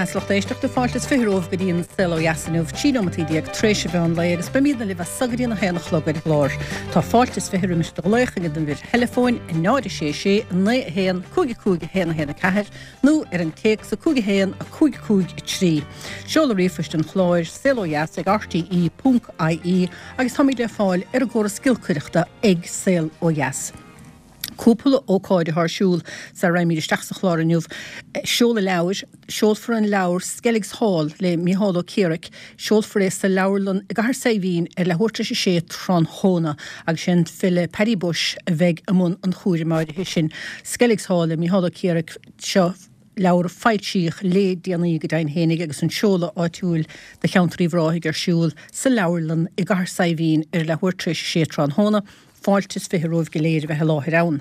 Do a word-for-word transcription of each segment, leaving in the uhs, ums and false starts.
Beatha 's lucht éisteachta fáilte is fiche romhaibh go dtí an Saol Ó Dheas inniu, trí nóimeataí déag tar éis an mheán lae agus beimidne libh as so go dtí an a haon a chlog ar an gclár. Tá fáilte is fiche roimis do ghlaoch ag an uimhir theileafóin a náid a sé sé naoi a haon cúig a cúig a haon a haon a ceathair nó ar an téacs a cúig a haon a cúig cúig a trí. Seoladh ríomhphoist an chláir saol ó dheas ag rte ponc ie agus táimid le fáil ar an gcóras giolcaireachta ag Saol Ó Dheas. Cúpla ócáid atá ar siúl sara raghaimid isteach sa chlár inniu. Seoladh leabhair, seolfar an leabhar Skelligs Hall le Mícheál Ó Ciaraic, seolfar é sa leabharlann i gCathair Saidhbhín ar leathuair tar éis a sé tráthnóna agus sé an file Paddy Bushe a bheidh i mbun an chúraim áirithe sin. Skelligs Hall le Mícheál Ó Ciaraic, seo leabhar a foilsíodh le déanaí go deimhin fhéinig agus an seoladh áitiúil do cheantar Uíbh Ráthaigh ar siúl sa leabharlann i gCathair Saidhbhín ar leathuair tar éis a sé tráthnóna. Fáilte is fiche romhaibh go léir a bheith i láthair ann.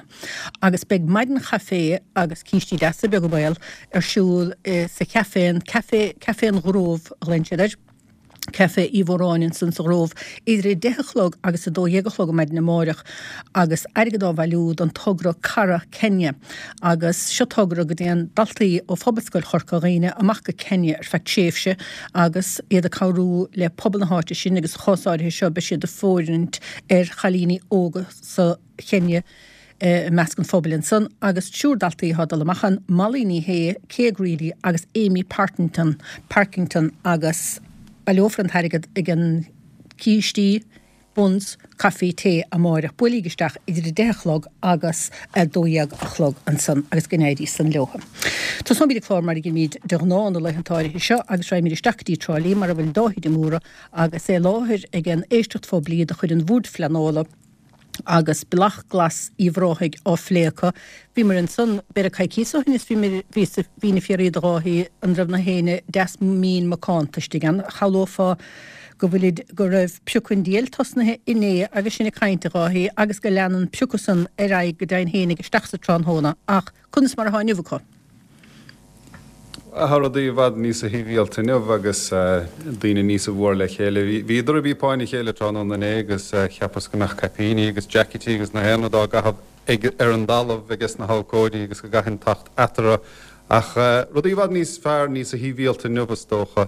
Agus beidh maidin chaifé agus cístí deasa, beag an baol, ar siúl sa chaifé, an Café, Café an Ghrove a ghlaonn siad air, Café Uí Mhóráin ansan sa Ghrove, idir a deich a chlog agus a dó dhéag a chlog ar maidin amáireach agus airgead á bhailiú don togra Cara Kenya. Agus seo togra go dtéann daltaí ó Phobalscoil Chorca Dhuibhne amach go Kenya ar feadh tréimhse agus iad ag cabhrú le pobal na háite sin agus sa chás áirithe seo beidh siad ag fóirithint ar chailíní óga sa Chenia i measc an phobail ansan agus triúr daltaí atá ag dul amach ann, Molly Ní Shé, Kay Greely agus Amy Partington, Parkington agus baileofar an t-airgead ag an cístí, buns, caife tae amáireach. Buailíg isteach idir a deich a chlog agus a dó dhéag a chlog ansan agus go n-éirí san leo. Tosóimid an clár mar a dhéanaimid de ghnáth na laethanta áirithe seo agus raghaimid isteach go dtí Trá Lí mar a bhfuil Dáithí de Mórdha agus é i láthair ag an éisteacht phoiblí de chuid an Bhoird Phleanála agus Bealach Glas Uíbh Ráthaigh á phlé acu. Bhíomar ansan b'fhéidir coicíos ó shin is bhí bhí na fiafraí de Dháithí an raibh na héinne deas mín macánta istigh ann. Shamhlófá go bhfuilid go raibh piocadh an diail tosnaithe inné agus sinn ag caint a Dháithí agus go leanann an piocadh san ar aghaidh go deimhin fhéinig isteach sa tráthnóna ach conas mar atá inniu acu? Tá rudaí i bhfad níosa shibhialta inniu agus daoine níosa mhór le chéile. Bhíodar ag píopáin a chéile tráthnóna inné agus cheapas go mbeadh caipíní agus jaicití agus na haon rud á gcaitheamh ag ar an dtalamh ages na habhcóidí agus go gcaithfinn tacht eatarthu. Ach rudaí i bhfad níos fearr, níosa shibhialta inniu is dócha.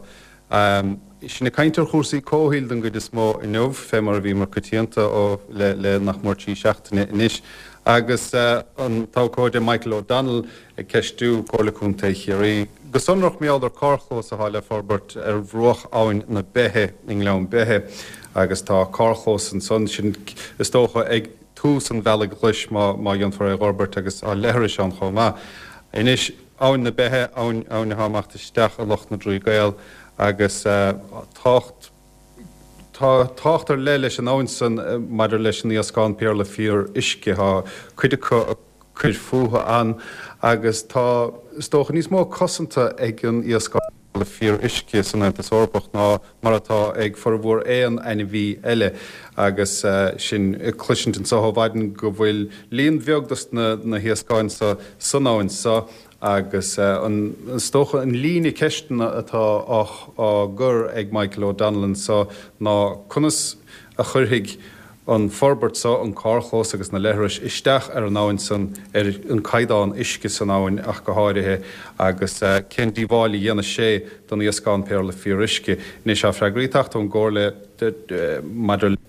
Sinn ag caint ar chúrsaí comhshaoil den gcuid is mó inniu, fé mar a bhíomar coitianta ó le le nach mór trí seachtaine anois, agus an t-abhcóide Michael O'Donnell ag ceistiú Comhairle Contae Chiarraí go sonrach mar gheall ar carrchlós atá le forbairt ar bhruach Abhainn na Beithe i nGleann Beithe agus tá carrchlós ansan sin is dócha ag tús an bhealaigh ghlais má má dhéanfar é a fhorbairt agus tá leithris ann chomh maith. Anois Abhainn na Beithe, abhainn abhainn atá amach isteach i Loch na dTrí Gcaol agus tácht Tá tábhacht ar leith leis an abhainn san maidir leis an iascán péarla fíoruisce. Tá cuid acu ag cur fúthu ann agus tá, is dócha, níos mó cosanta ag an iascán péarla fíoruisce san Aontas Eorpach ná mar atá ag formhór aon ainmhí eile agus sinn ag cloisint anseo ó mhaidin go bhfuil líon bheag dos na na hiascáin seo san abhainn seo Agus an, is dócha, an líne ceisteanna atá á gcur ag Michael O'Donnell anseo ná conas a chuirfidh an forbairt seo, an carrchlós agus na leithris, isteach ar an abhainn san, ar an caighdeán uisce san abhainn ach go háirithe, agus cén díobháil a dhéanfaidh sé don iascán péarla fíoruisce. Anois, tá freagraí ag teacht ón gComhairle maidir le.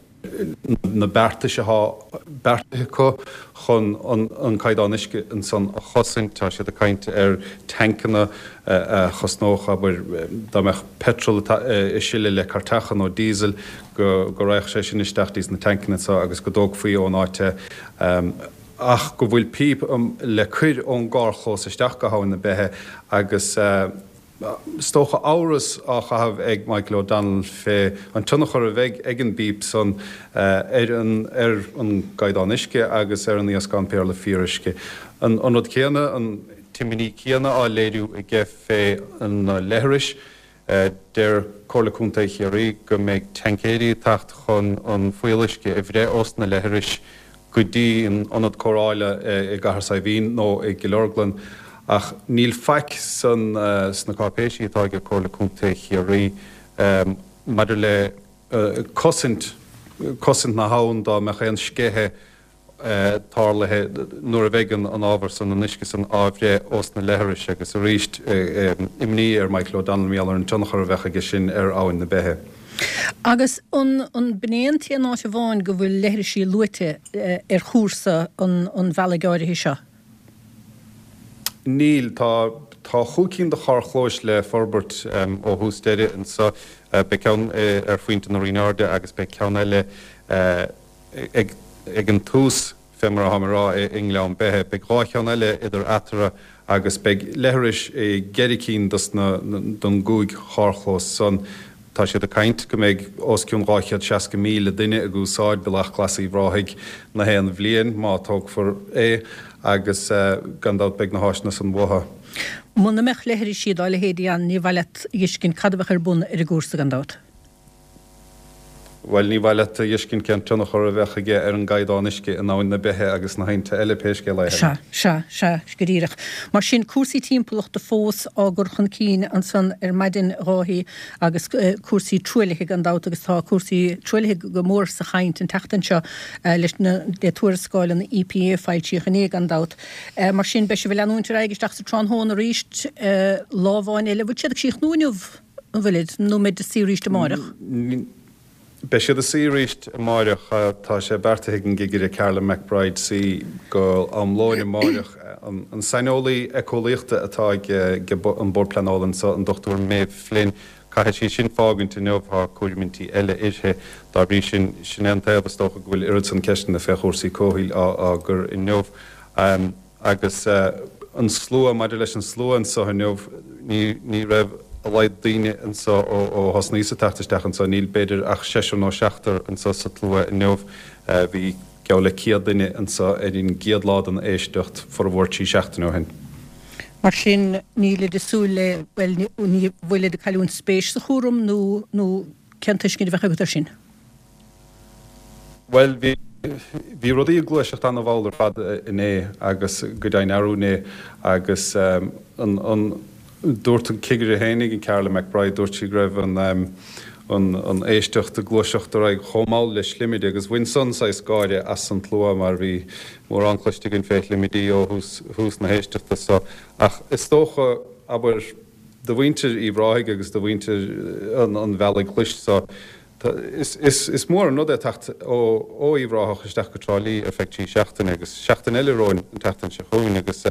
na beartais atá beartaithe acu chun an caighdeán uisce ansan a chosaint. Tá siad ag caint ar tancanna a chosnódh, abair, dá mbeadh petrol ag sileadh le cairteacha nó diesel, go raghadh sé sin isteach dtí na tancanna seo agus go dtógfaí ón áit é. Ach go bhfuil píp le cur ón gcarrchlós isteach go hAbhainn na Beithe agus. Is dócha amhras á chaitheamh ag Michael O'Donnell fé an tionchar a bheidh ag an bpíp san ar an ar an gcaighdeán uisce agus ar an iascán péarla fíoruisce. An rud céanna, an t-imní céanna á léiriú aige fé na leithris. Deir Comhairle Contae Chiarraí go mbeidh taincéirí ag teacht chun an fuíolluisce a bhreith ós na leithris go dtí an ionad cóireála i gCathair Saidhbhín nó i gCill Orglan ach níl faic san sna cáipéisí atá ag Comhairle Contae Chiarraí maidir le cosaint cosaint na habhann dá mbeadh aon sceitheadh tarlaithe nuair a bheidh an ábhar san, an uisce san á bhreith ós na leithris agus arís imní ar Michael O'Donnell mar gheall ar an tionchar a bheadh aige sin ar Abhainn na Beithe. Agus an b'in é an t-aon áit amháin go bhfuil leithrisí luaite ar chúrsa an bhealaigh áirithe seo? Níl. Tá tá chúig cinn de charrchlóis le forbairt ó thús deireadh anseo. Beidh ceann ar phointe na Rinne Airde agus beidh ceann eile ag ag an tús, fé mar atá mé a rá, i nGleann Beithe. Beidh dhá cheann eile idir eatarthu agus beidh leithris i gceithre cinn dos na don gcúig charrchlós san. Tá siad ag caint go mbeidh os cionn dhá chéad seasca míle duine ag úsáid Bealach Glas Uíbh Ráthaigh na haon bhliain, má tógfar é, agus gan dabht beidh na háiseanna san uathu. Muna mbeadh leithrisí dá leithéidí ann, ní mhaith leat a dh'fheiscint cad a bheadh ar bun ar an gcúrsa, gan dabht. Bhuel, ní mhaith leat a dh'fheiscint cén tionchar a bheadh aige ar an gcaighdeán uisce in Abhainn na Beithe agus sna haibhnte eile, pé scéal é. Sea, sea, sea, go díreach. Mar sin, cúrsaí timpeallachta fós á gcur chun cinn ansan ar maidin, a Dháithí, agus cúrsaí truaillithe gan dabht, agus tá cúrsaí truaillithe go mór sa chaint an tseachtain seo leis na, le tuarascáil an E P A a foilsíodh inné gan dabht. Mar sin, beidh sibh ag leanúint ar aghaidh isteach sa tráthnóna arís, lá amháin eile. Bhfuil siad ag síochnú inniu, an bhfuilid, nó an mbeidh ag suí arís amáireach? Beidh siad ag suí arís amáireach. Tá sé beartaithe ag an gcigire Carolyn McBride suí go am lóin amáireach. An saineolaí éiceolaíochta atá ag an Bord Pleanála anseo, an Dochtúir Maeve Flynn, caithfidh sí sin fágaint inniu, tá cúraimí eile uirthi. Dá bhrí sin, sin é an taobh is dócha go bhfuil oiread san ceisteanna fé chúrsaí comhshaoil á gcur inniu. Agus an slua, maidir leis an slua anseo inniu, ní ní raibh a laghad daoine anseo ó thosnaíos ag teacht isteach anseo, níl b'fhéidir ach seisear nó seachtar anseo sa tslua inniu. Bhí geall le céad duine anseo ar an gcéad lá den éisteacht, formhór trí seachtaine ó shin. Mar sin, nílid ag súil le, bhuel, ní bhfuilid ag cailliúint spéis sa chúram nó nó cén tuiscint a bheadh agat air sin? Bhuel, bhí bhí rudaí ag gluaiseacht an-mhall ar fad inné agus go deimhin arú inné agus an an dúirt an cigire fhéinig, an Carolyn McBride, dúirt sí go raibh an an an éisteacht ag gluaiseacht ar aghaidh chomh mall le slimide agus bhain san saghas gáire as an tslua mar bhí mórán cloiste againn fé shlimidí ó thús thús na héisteachta so. Ach is dócha, abair, do mhuintir Uíbh Ráthaigh agus do mhuintir an an Bhealaigh Ghlais so, Is is mór an rud é teacht ó ó Uíbh Ráthach isteach go Trá Lí ar feadh trí seachtaine agus seachtain eile romhainn an tseachtain seo chugainn agus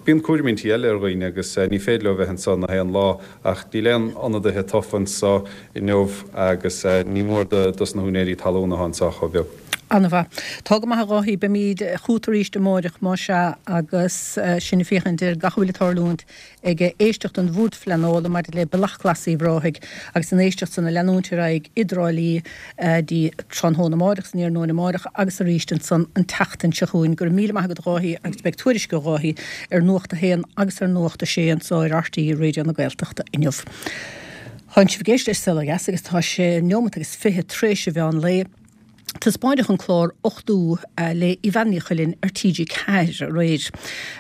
bíonn cúraimí eile ar dhaoine agus ní féidir leo bheith anseo na haon lá ach níl aon ionadaithe tofa anseo inniu agus ní mór do dos na húinéirí talún atá anseo chomh beag. An-mhaith. Tá go maith a Dháithí, beimid chugat arís amáireach más ea agus sinn ag féachaint ar gach a bhfuil ag tarlúint ag éisteacht an Bhoird Phleanála maidir le Bealach Glas Uíbh Ráthaigh agus an éisteacht san ag leanúint ar aghaidh i dTrá Lí dtí tráthnóna amáireach, san iarnóin amáireach agus arís ansan an tseachtain seo chugainn. Go raibh míle maith agat a Dháithí agus beidh tuairisc ó Dháithí ar Nuacht a hAon agus ar Nuacht a Sé anseo ar R T É Raidió na Gaeltachta inniu. Tánn sibh ag éisteacht le Saol Ó Dheas agus tá sé neomat agus fiche tar éis an mheán lae. Taispeáineadh an clár Uchtú le Evanne Ní Chuilinn ar T G Ceathair aréir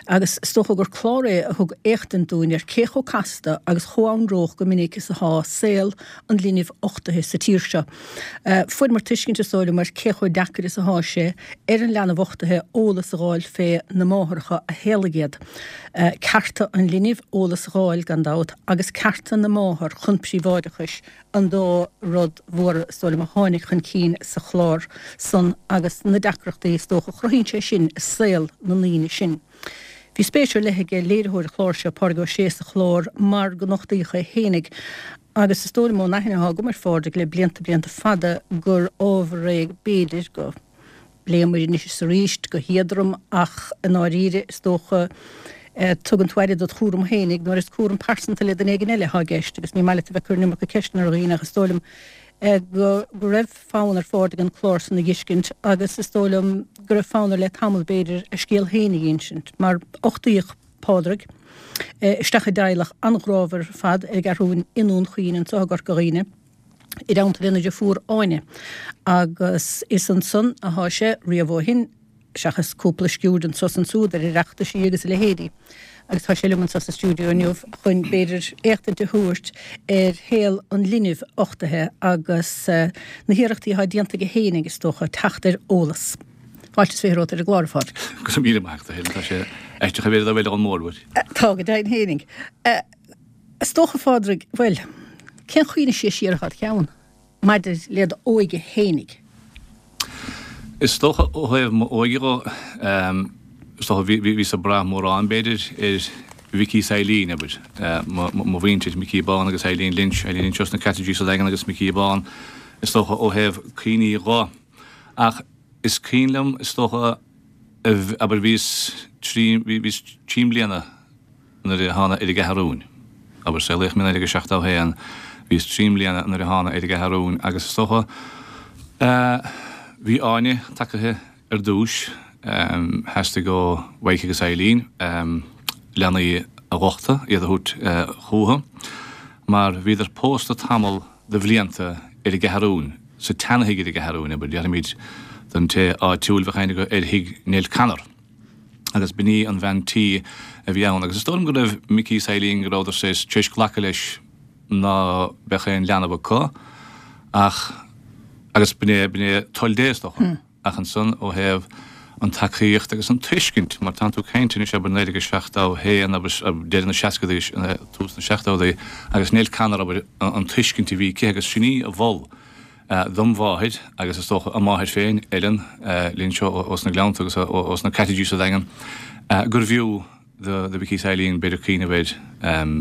agus is dócha gur clár é a thug éachtaint dúinn ar cé chomh casta agus chomh anróch go minic is atá saol an linbh uchtaithe sa tír seo. Fuaireamar tuiscint is dóigh liom ar cé chomh deacair is atá sé ar an leanbh uchtaithe eolas a dh'fháil fé na máithreacha a shaolaigh iad. Cearta an linbh eolas a dh'fháil gan dabht agus cearta na máthar chun príobháideachais an dá rud mhóra is dóigh liom a tháinig chun cinn sa chlár san agus na deacrachtaí is dócha a chruthaíonn sé sin i saol na ndaoine sin. Bhí spéis ar leith ag léiritheoir an chláir seo, Pádraig Ó Sé, sa chlár mar go nochtaíodh é fhéinig agus is dóigh liom ón aithne atá agam ar Phádraig le blianta blianta fada gur ábhar é b'fhéidir go bpléamar anois is arís go héadrom ach i ndáiríre is dócha tugann tú aire dod chúram fhéinig nuair is cúram pearsanta le duine éigin eile atá i gceist agus ní maith leat a bheith ag cur an iomarca ceisteanna ar dhaoine ach is dóigh liom go go raibh fonn ar Phádraig an clár san a dh'fheiscint agus is dóigh liom go raibh fonn air le tamall b'fhéidir a scéal féin a dh'insint mar uchtaíodh Pádraig isteach i dteaghlach an-ghrámhar ar fad ar an gCeathrúin i nDún Chaoin anseo i gCorca Dhuibhne i dteannta lena dheirfiúr Áine agus is ansan atá sé riamh ó shin seachas cúpla sciuird anso is ansúd ar Oireachtaisí agus a leithéidí. Agus tá sé liom anseo sa stiúideo inniu chun b'fhéidir éachtaint a thabhairt ar shaol an linbh uchtaithe agus na hiarrachtaí atá déanta aige fhéinig is dócha teacht ar eolas. Fáilte is fiche romhat ar an gclár, a Phádraig. Go raibh míle maith agat, a Helen. Tá sé aisteach a bheith ar an mórmhuir. Tá go deimhin fhéinig. Is dócha, a Phádraig, bhuel, cén chuimhne is sia siar atá id cheann maidir le d'óige fhéinig? Is dócha ó thaobh m'óige dho, is dócha bhíos ag brath mórán b'fhéidir ar Mhicí is Eileen, abair, mo mhuintir, Micí Bán agus Eileen Lynch, Eileen Lynch os na Cottages sa Daingean agus Micí Bán, is dócha ó thaobh cuimhní dho. Ach is cuimhin liom, is dócha, abair bhíos trí, bhíos trí mbliana nuair a thána ar an gCeathrúin. Abair, saolaíodh mé i naoi déag a seachtó a haon, bhíos trí mbliana nuair a thána ar an gCeathrúin agus is dócha, bhí Áine tagaithe ar dtúis, theastaigh ó Mhaidhc agus Eileen leanaí a dh'uchtadh, iad a thabhairt chúthu, mar bhíodar pósta tamall de bhlianta ar an gCeathrúin, sa tseanathigh ar an gCeathrúin, abair, déarfaimid don té áitiúil bheadh aithne aige ar thigh Nell Connor. Agus b'in í an bhean tí a bhí ann. Agus is dóigh liom go raibh Micí is Eileen, go rabhadar tar éis glacadh leis ná beadh aon leanbh acu, ach, agus b'in é, b'in é toil Dé is dócha. Ach ansan ó thaobh an tacaíocht agus an tuiscint, mar tánn tú ag caint anois abair naoi déag a seachtó a haon, abair, deireadh na seascadaí, tús na seachtódaí, agus Nell Connor, abair, an tuiscint a bhí aici agus sin í a mhol dom mháthair agus is dócha a máthair féin, Ellen Lynch ós na Gleannta agus ós na Cottages sa Daingean, gurbh fhiú do Mhicí is Eileen b'fhéidir cuimhneamh ar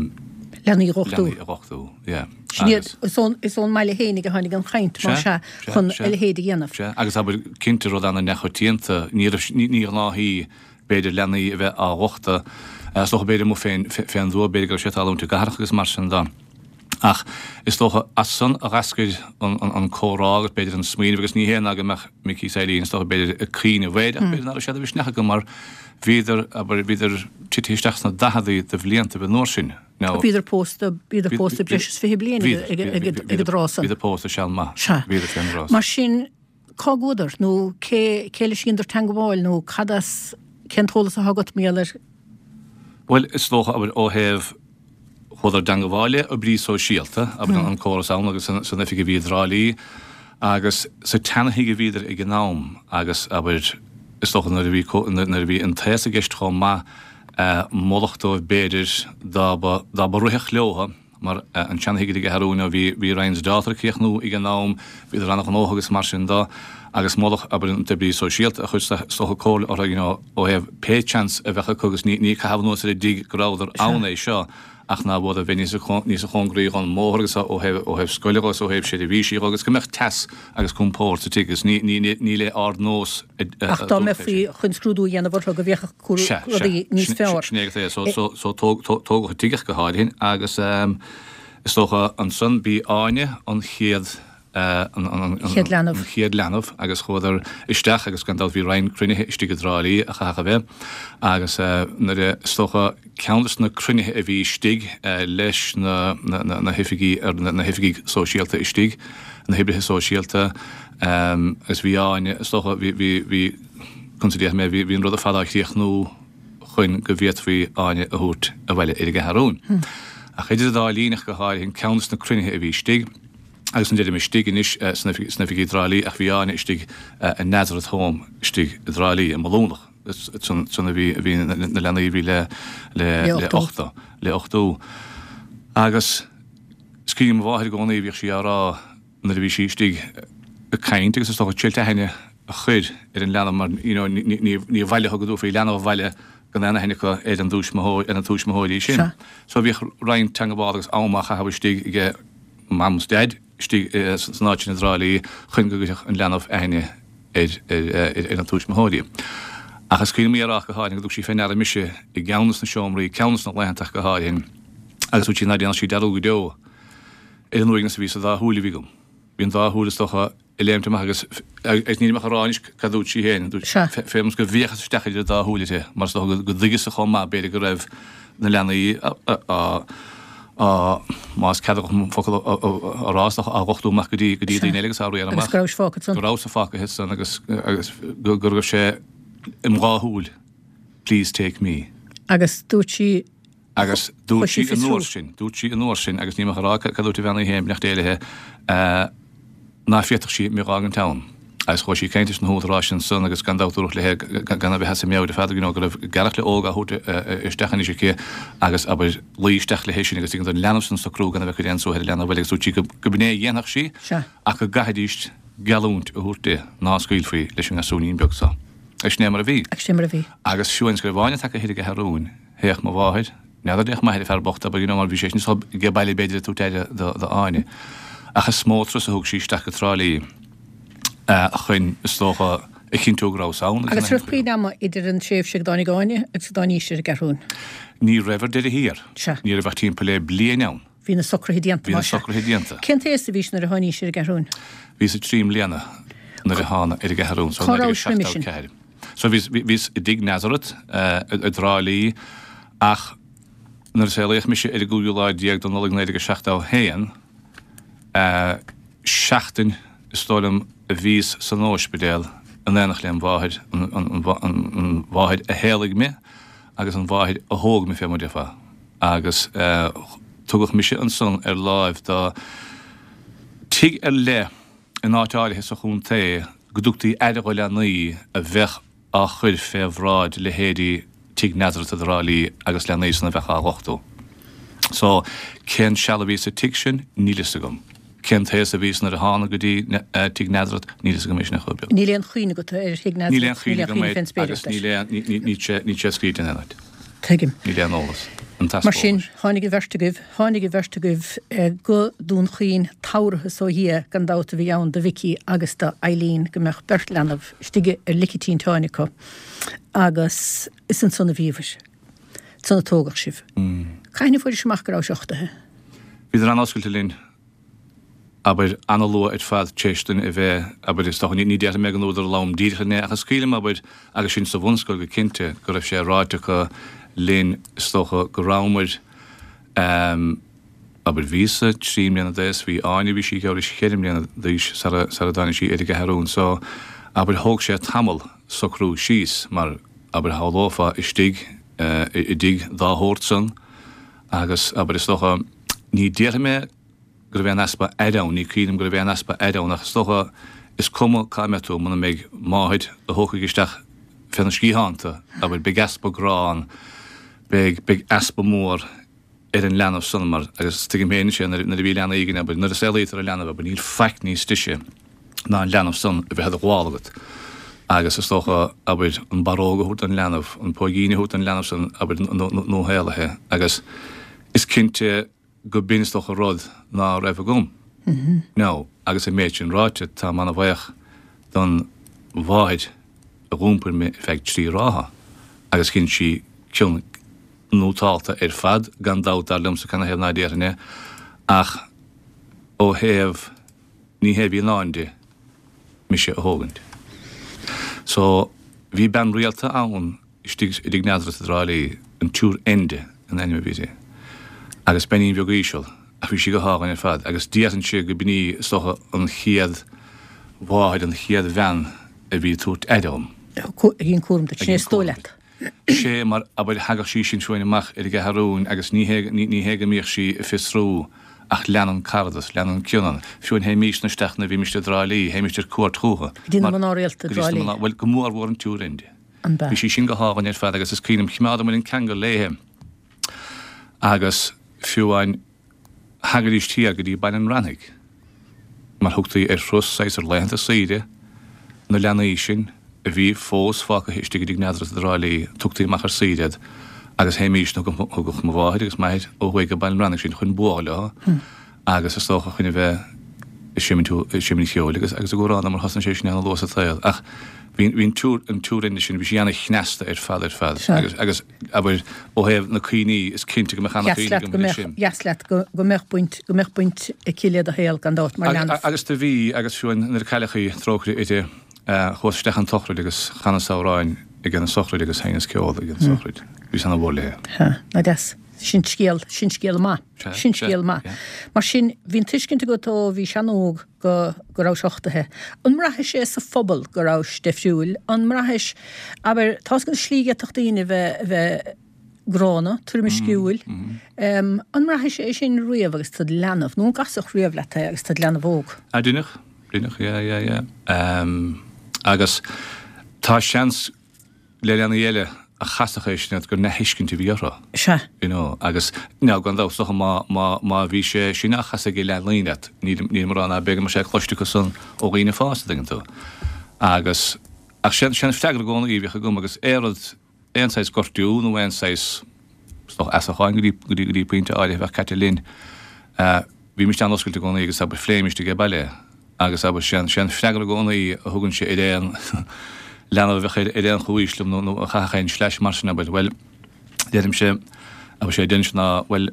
leanaí a dh'uchtú. Leanaí a dh'uchtú, yeah. Sin iad, is ón, is ón mbaile fhéinig a tháinig an chaint, má sea, chun a leithéid a dhéanamh. Sea, agus abair, cinnte rud ana-neamhchoitianta, ní raibh, ní, ní ghnáthshaoi b'fhéidir leanaí a bheith á dh'uchtadh, is dócha b'fhéidir amuigh fén, fén dtuath, b'fhéidir go raibh sé ag tarlúint i gcathracha agus mar sin de. Ach is dócha as san a dh'eascair an, an, an comhrá agus b'fhéidir an smaoineamh agus ní hé ná go mbeadh Micí is Eileen, is dócha b'fhéidir ag cuimhneamh air ach b'fhéidir ná raibh sé de mhisneach acu mar bhíodar, abair, bhíodar titithe isteach sna daicheadaí de bhliantaibh an uair sin. Now, Bhíodar pósta, bhíodar pósta breis is fiche bliain ag, ag, ag, ag an dtráth san. Bhíodar pósta seal maith. Sea. Bhíodar fén dtráth. Mar sin, cá gcuadar nó cé, cé leis a dheineadar teangabháil nó cad as, cén t-eolas atá agat mar gheall air? Bhuel, is dócha, abair, ó thaobh chuadar i dteangabháil le oibrí sóisialta, abair, an córas ann agus san oifig a bhí i dTrá Lí agus sa tseanathigh a bhíodar ag an am agus, abair, is dócha nuair a bhí, nuair a bhí an t-aos i gceist chomh maith, moladh dóibh b'fhéidir dá mba, dá mba rithfeadh leotha, mar an tseanathigh ar an gCeathrúin, bhí, bhí Ryan's Daughter ag críochnú ag an am, bhíodar an-ghnóthach agus mar sin de, agus moladh, abair, an t-oibrí sóisialta a chuir is dócha comhairle orthu, you know, ó thaobh pé chance a bheadh acu agus ní, ní caitheamh anuas ar an dtigh go rabhadar ann é seo, ach ná b'fhuada bheith níos níos cóngaraí dhon mbóthar agus ó thaobh ó thaobh scoile dhó is ó thaobh seirbhísí dhó agus go mbeadh teas agus compord sa tigh agus ní ní ní le ardnós a Ach dá mbeifí chun scrúdú a dhéanamh orthu go bhféachfadh Sea, sea, rudaí níos sin fearr. sin é so so so tóg tógadh an tigh ach go háirithe agus is dócha ansan b'í Áine an chéad an Chéad leanbh. an chéad leanbh agus chuadar isteach agus gan dabht bhí roinnt cruinnithe istigh i dTrá Lí a chaithfeadh a bheith agus nuair a is dócha ceann des na cruinnithe a bhí istigh leis na na hoifigí ar na hoifigigh sóisialta istigh, na hoibrithe sóisialta agus bhí Áine is dócha bhí bhí bhí conas a déarfaidh mé bhí bhí an rud ar fad á chríochnú chun go bhféadfaí Áine a thabhairt abhaile ar an gCeathrúin. Ach idir an dá linn ach go háirithe ceann des na cruinnithe a bhí istigh, Agus ní deirim istigh anois sna oifigí i dTrá Lí ach bhí Áine istigh i Nazareth Home istigh i dTrá Lí, i mBaile Dúnach. Ansan a bhí na leanaí a bhí le le uchtú, le uchtú. Agus is cuimhin liom mo mháthair i gcónaí, bhíodh sí á rá nuair a bhí sí istigh ag caint agus is dócha triailt aithne a chur ar an leanbh mar you know ní ní bhaileofá go dtabharfaí leanbh abhaile gan aon aithne acu ar an dtuismitheoir, ar na tuismitheoirí sin. So bhíodh roinnt teangabhála agus am á chaitheamh istigh ag Mam is Daid istigh san áit sin i dTrá Lí chun go gcuirfeadh an leanbh aithne ar ar na tuismitheoirí. Ach is cuimhin liom í a rá ach go háirithe go dtug sí fé ndeara mise i gceann des na seomraí, ceann des na laethanta ach go háirithe, agus dúirt sí ná déanfadh sí dearúd go deo ar an uaigneas a bhí sa dá shúil a bhí agam. Bhí an dá shúil is dócha ag léimt amach agus agus nílim ach a rá anois cad dúirt sí féin, dúirt Sea. fé mar go bhféachas isteach idir a dá shúil uirthi mar is dócha go dtuigeas-sa chomh maith b'fhéidir go raibh na leanaí á á más ceadmhach an focal a rá is dócha á dhochtú amach go dtí go dtí Sea. daoine eile agus á riar Agus amach go rabhais fágtha ansan. go rabhas-sa fágtha ansan agus agus go go raibh sé im dhá shúil please take me. Agus dúirt sí Agus dúirt Chuir sí sí an fiosrú. uair sin, dúirt sí an uair sin, agus nílim ach a rá cad dúirt an bhean í féin, beannacht Dé léi, ná féadfadh sí mé dh'fhágaint ann. Agus chuaigh sí ag caint leis na húdaráis ansan agus gan dabht dúradh léi gan a bheith as a meabhair ar fad, you know, go raibh gearrchaile óg á thabhairt isteach anois aici agus, abair, luí isteach léi sin agus an leanbh san socrú gan a bheith ag cur aon suaitheadh ar an leanbh eile agus dúirt sí go b'in é a dhéanfadh sí ach go gcaithfidís geallúint a thabhairt di ná scaoilfí leis an ngasúinín beag so. Agus sin é mar a bhí. Agus sin é mar a bhí. Agus fiú amháin is go raibh Áine tagtha thoir ag an Cheathrúin, théadh mo mháthair, n'fheadar an dtéadh m'athair, an fear bocht, abair, you know, mar bhí sé sin ag baile b'fhéidir ag tabhairt aire do Áine. Ach is mó turas a thug sí isteach go Trá Lí chun, is dócha, a chinntiú go rabhas ann. Agus raibh puinn ama idir an tréimhse go dtáinig Áine agus go dtáinís ar an gCeathrúin? Ní raibh ar deireadh thiar. Sea. Ní raibh ach timpeall le bliain ann. Bhí na socruithe déanta, Bhí na socruithe déanta. Cén t-aos a bhís nuair a tháinís ar an gCeathrúin? Bhíos trí mbliana nuair a thána ar an gCeathrúin, so Cá rabhais roimhe sin? So bhíos, bhíos i dTigh Nazareth i dTrá Lí ach nuair a saolaíodh mise ar an gcúigiú lá déag de Nollaig naoi déag a seachtó a haon, seachtain is dóigh liom a bhíos san óispidéal in éineacht lem mháthair, an mháthair a shaolaigh me agus an mháthair a thóg me fé mar déarfá. Agus tugadh mise ansan ar láimh do tigh ar leith in áit áirithe sa chontae go dtugtaí aire dho leanaí a bheadh á chur fé bhráid leithéidí Tigh Nazareth i dTrá Lí agus leanaí san a bheadh á dhochtú. So, cén seal a bhíos sa tigh sin, níl fhios agam. Cén t-aos a bhíos nuair a thána go dtí Tigh Nazareth, níl fhios agam é sin ar chor ar bith. Níl aon chuimhne agat ar Thigh Nazareth? Níl aon chuimhne agam air agus níl aon, níl sé, níl sé scríte in aon áit. Tuigim. Níl aon eolas. An t-easpa Mar sin, eolais. tháinig an bheirt agaibh, tháinig an bheirt agaibh go Dún Chaoin, tabharthas ó Dhia gan dabht a bhí ann do Mhicí agus do Eileen go mbeadh beirt leanbh istigh ar lic an tinteáin acu agus is ansan a bhíobhair. Ansan a tógadh sibh. Cathain a fuairis amach go rabhais uchtaithe? Bhíodar an-oscailte linn. abair, an-luath ar fad tar éis dúinn a bheith, abair, is dócha, ní déarfaidh mé go ndúradar liom díreach é, ach is cuimhin liom, abair, agus sinn sa bhunscoil go cinnte, go raibh sé ráite acu linn, is dócha, go rabhamar, abair, bhíos-sa trí mbliana d'aos, bhí Áine, bhí sí geall leis cheithre mbliana d'aois sara, sara dtáinig sí ar an gCeathrúin, so, abair, thóg sé tamall socrú síos, mar, abair, shamhlófá istigh i dtigh dá shórt san agus, abair, is dócha, ní déarfaidh mé, go raibh aon easpa aire ann, ní cuimhin liom go raibh aon easpa aire ann ach is dócha, is cuma cá mbeidh tú, muna mbeidh máthair a thógfaidh isteach féna sciathán tú, abair, beidh easpa grá ann, beidh, beidh easpa mór ar an leanbh san mar, agus tuigim féin anois é, nuair, nuair a bhí leanaí againn, abair, nuair a saolaítear an leanbh, abair, níl faic níos deise ná an leanbh san a bheith i do ghabháil agat agus is dócha, abair, an barróg a thabhairt don leanbh, an póigín a thabhairt don leanbh san, abair, nuashaolaithe agus is cinnte, go b'in is dócha rud ná raibh agam. Now, agus an méid sin ráite, táim ana-bhaoch don mháthair a dh'iompair mé ar feadh trí ráithe agus dhein sí cion nótálta ar fad, gan dabht, dar liomsa, canathaobh ná déarfainn é, ach ó thaobh, ní hé a bhí i ndán di, mise a thógaint. So, bhí bean rialta ann istigh i dTigh Nazareth i dTrá Lí, an tSiúr Enda an ainm a bhí uirthi, agus beainín bheag íseal, ach bhí sí go hálainn ar fad, agus déarfainnse go b'in í, is dócha, an chéad mháthair, an chéad bhean a bhí ag tabhairt aire dhom. A dhein cúram duit, sin é is dóigh leat. Sé mar, abair, thagadh sí sin chugainn amach ar an gCeathrúin agus ní hé, ní hé go mbíodh sí ag fiosrú ach lean an caradas, lean an cion ann. Fiú amháin théimísne isteach nuair a bhímist i dTrá Lí, théimist ar cuairt chúthu. Go dtí na mná rialta i dTrá Lí. Bhuel, go mór mhór an tSiúr Enda. An b'ea? Bhí sí sin go hálainn ar fad agus is cuimhin liom, choimeádamair an ceangal léithe agus fiú amháin thagaidís thiar go dtí Baile an Raithnigh mar thugtaí ar thuras saghas ar laethanta saoire na leanaí sin a bhí fós fágtha istigh i dTigh Nazareth i dTrá Lí, tugtaí amach ar saoire iad agus théimís, thugadh mo mháthair agus m'athair ó thuaidh go Baile an Raithnigh sinn chun bualadh leo agus is dócha chun a bheith ag seimint ag seimint cheoil agus agus ag amhrán mar thosnaigh sé sin ana luath sa tsaol ach bhí bhí an tSiúr an tSiúr Enda sin bhí sí ana chneasta ar fad ar fad agus agus abair ó thaobh na cuimhní is cinnte go mbeadh ana chuimhní agam air sin. Dheas leat go go mbeadh baint go mbeadh baint aici le do shaol gan dabht mar leanbh. Agus do bhí agus fiú nuair a cailleadh í trócaire uirthi chuas isteach an tsochraid agus chanas amhráin ag an sochraid agus sheinneas ceol ag an sochraid. Bhíos ana mhór léi. Ha, ná deas. Sin scéal, sin scéal maith. Sin scéal maith. Mar sin, bhí an tuiscint agat ó bhís an-óg go, go rabhais uchtaithe. An mbraithis é sa phobal go rabhais difriúil? An mbraithis, abair, tá's agat an slí go bhféadfadh daoine a bheith, a bheith gránna, tuairimsciúil. An mbraithis é sin riamh agus tú id leanbh, nó an gcasfadh riamh leat é agus tú id leanbh óg? Ah, deineadh. Rinneadh, yeah, yeah, yeah. Um, agus tá seans le leanaí eile a chasfadh é sin gur neamhthuiscint a bhí orthu. Sea. You know, agus now gan dabht is dócha má, má, má bhí sé sin á chasadh ag leanaí leat, níl, níl mórán ná b'fhéidir go mbeadh sé cloiste acu san ó dhaoine fásta, tuigeann tú. Agus, ach sin, sin freagra i gcónaí a bhíodh agam agus aon rud, aon saghas gortú nó aon saghas, is dócha asachán go dtí, go dtí, go dtí pointe áirithe a bheadh caite linn, eh, bhímis an-oscailte i gcónaí agus abair phléimis ag baile agus abair sin sin freagra i gcónaí a thugainnse ar aon leanbh a bheadh ar aon chomhaois liom nó a chaithfeadh aon sleais mar sin abair bhuel deirimse abair sé deirimse ná bhuel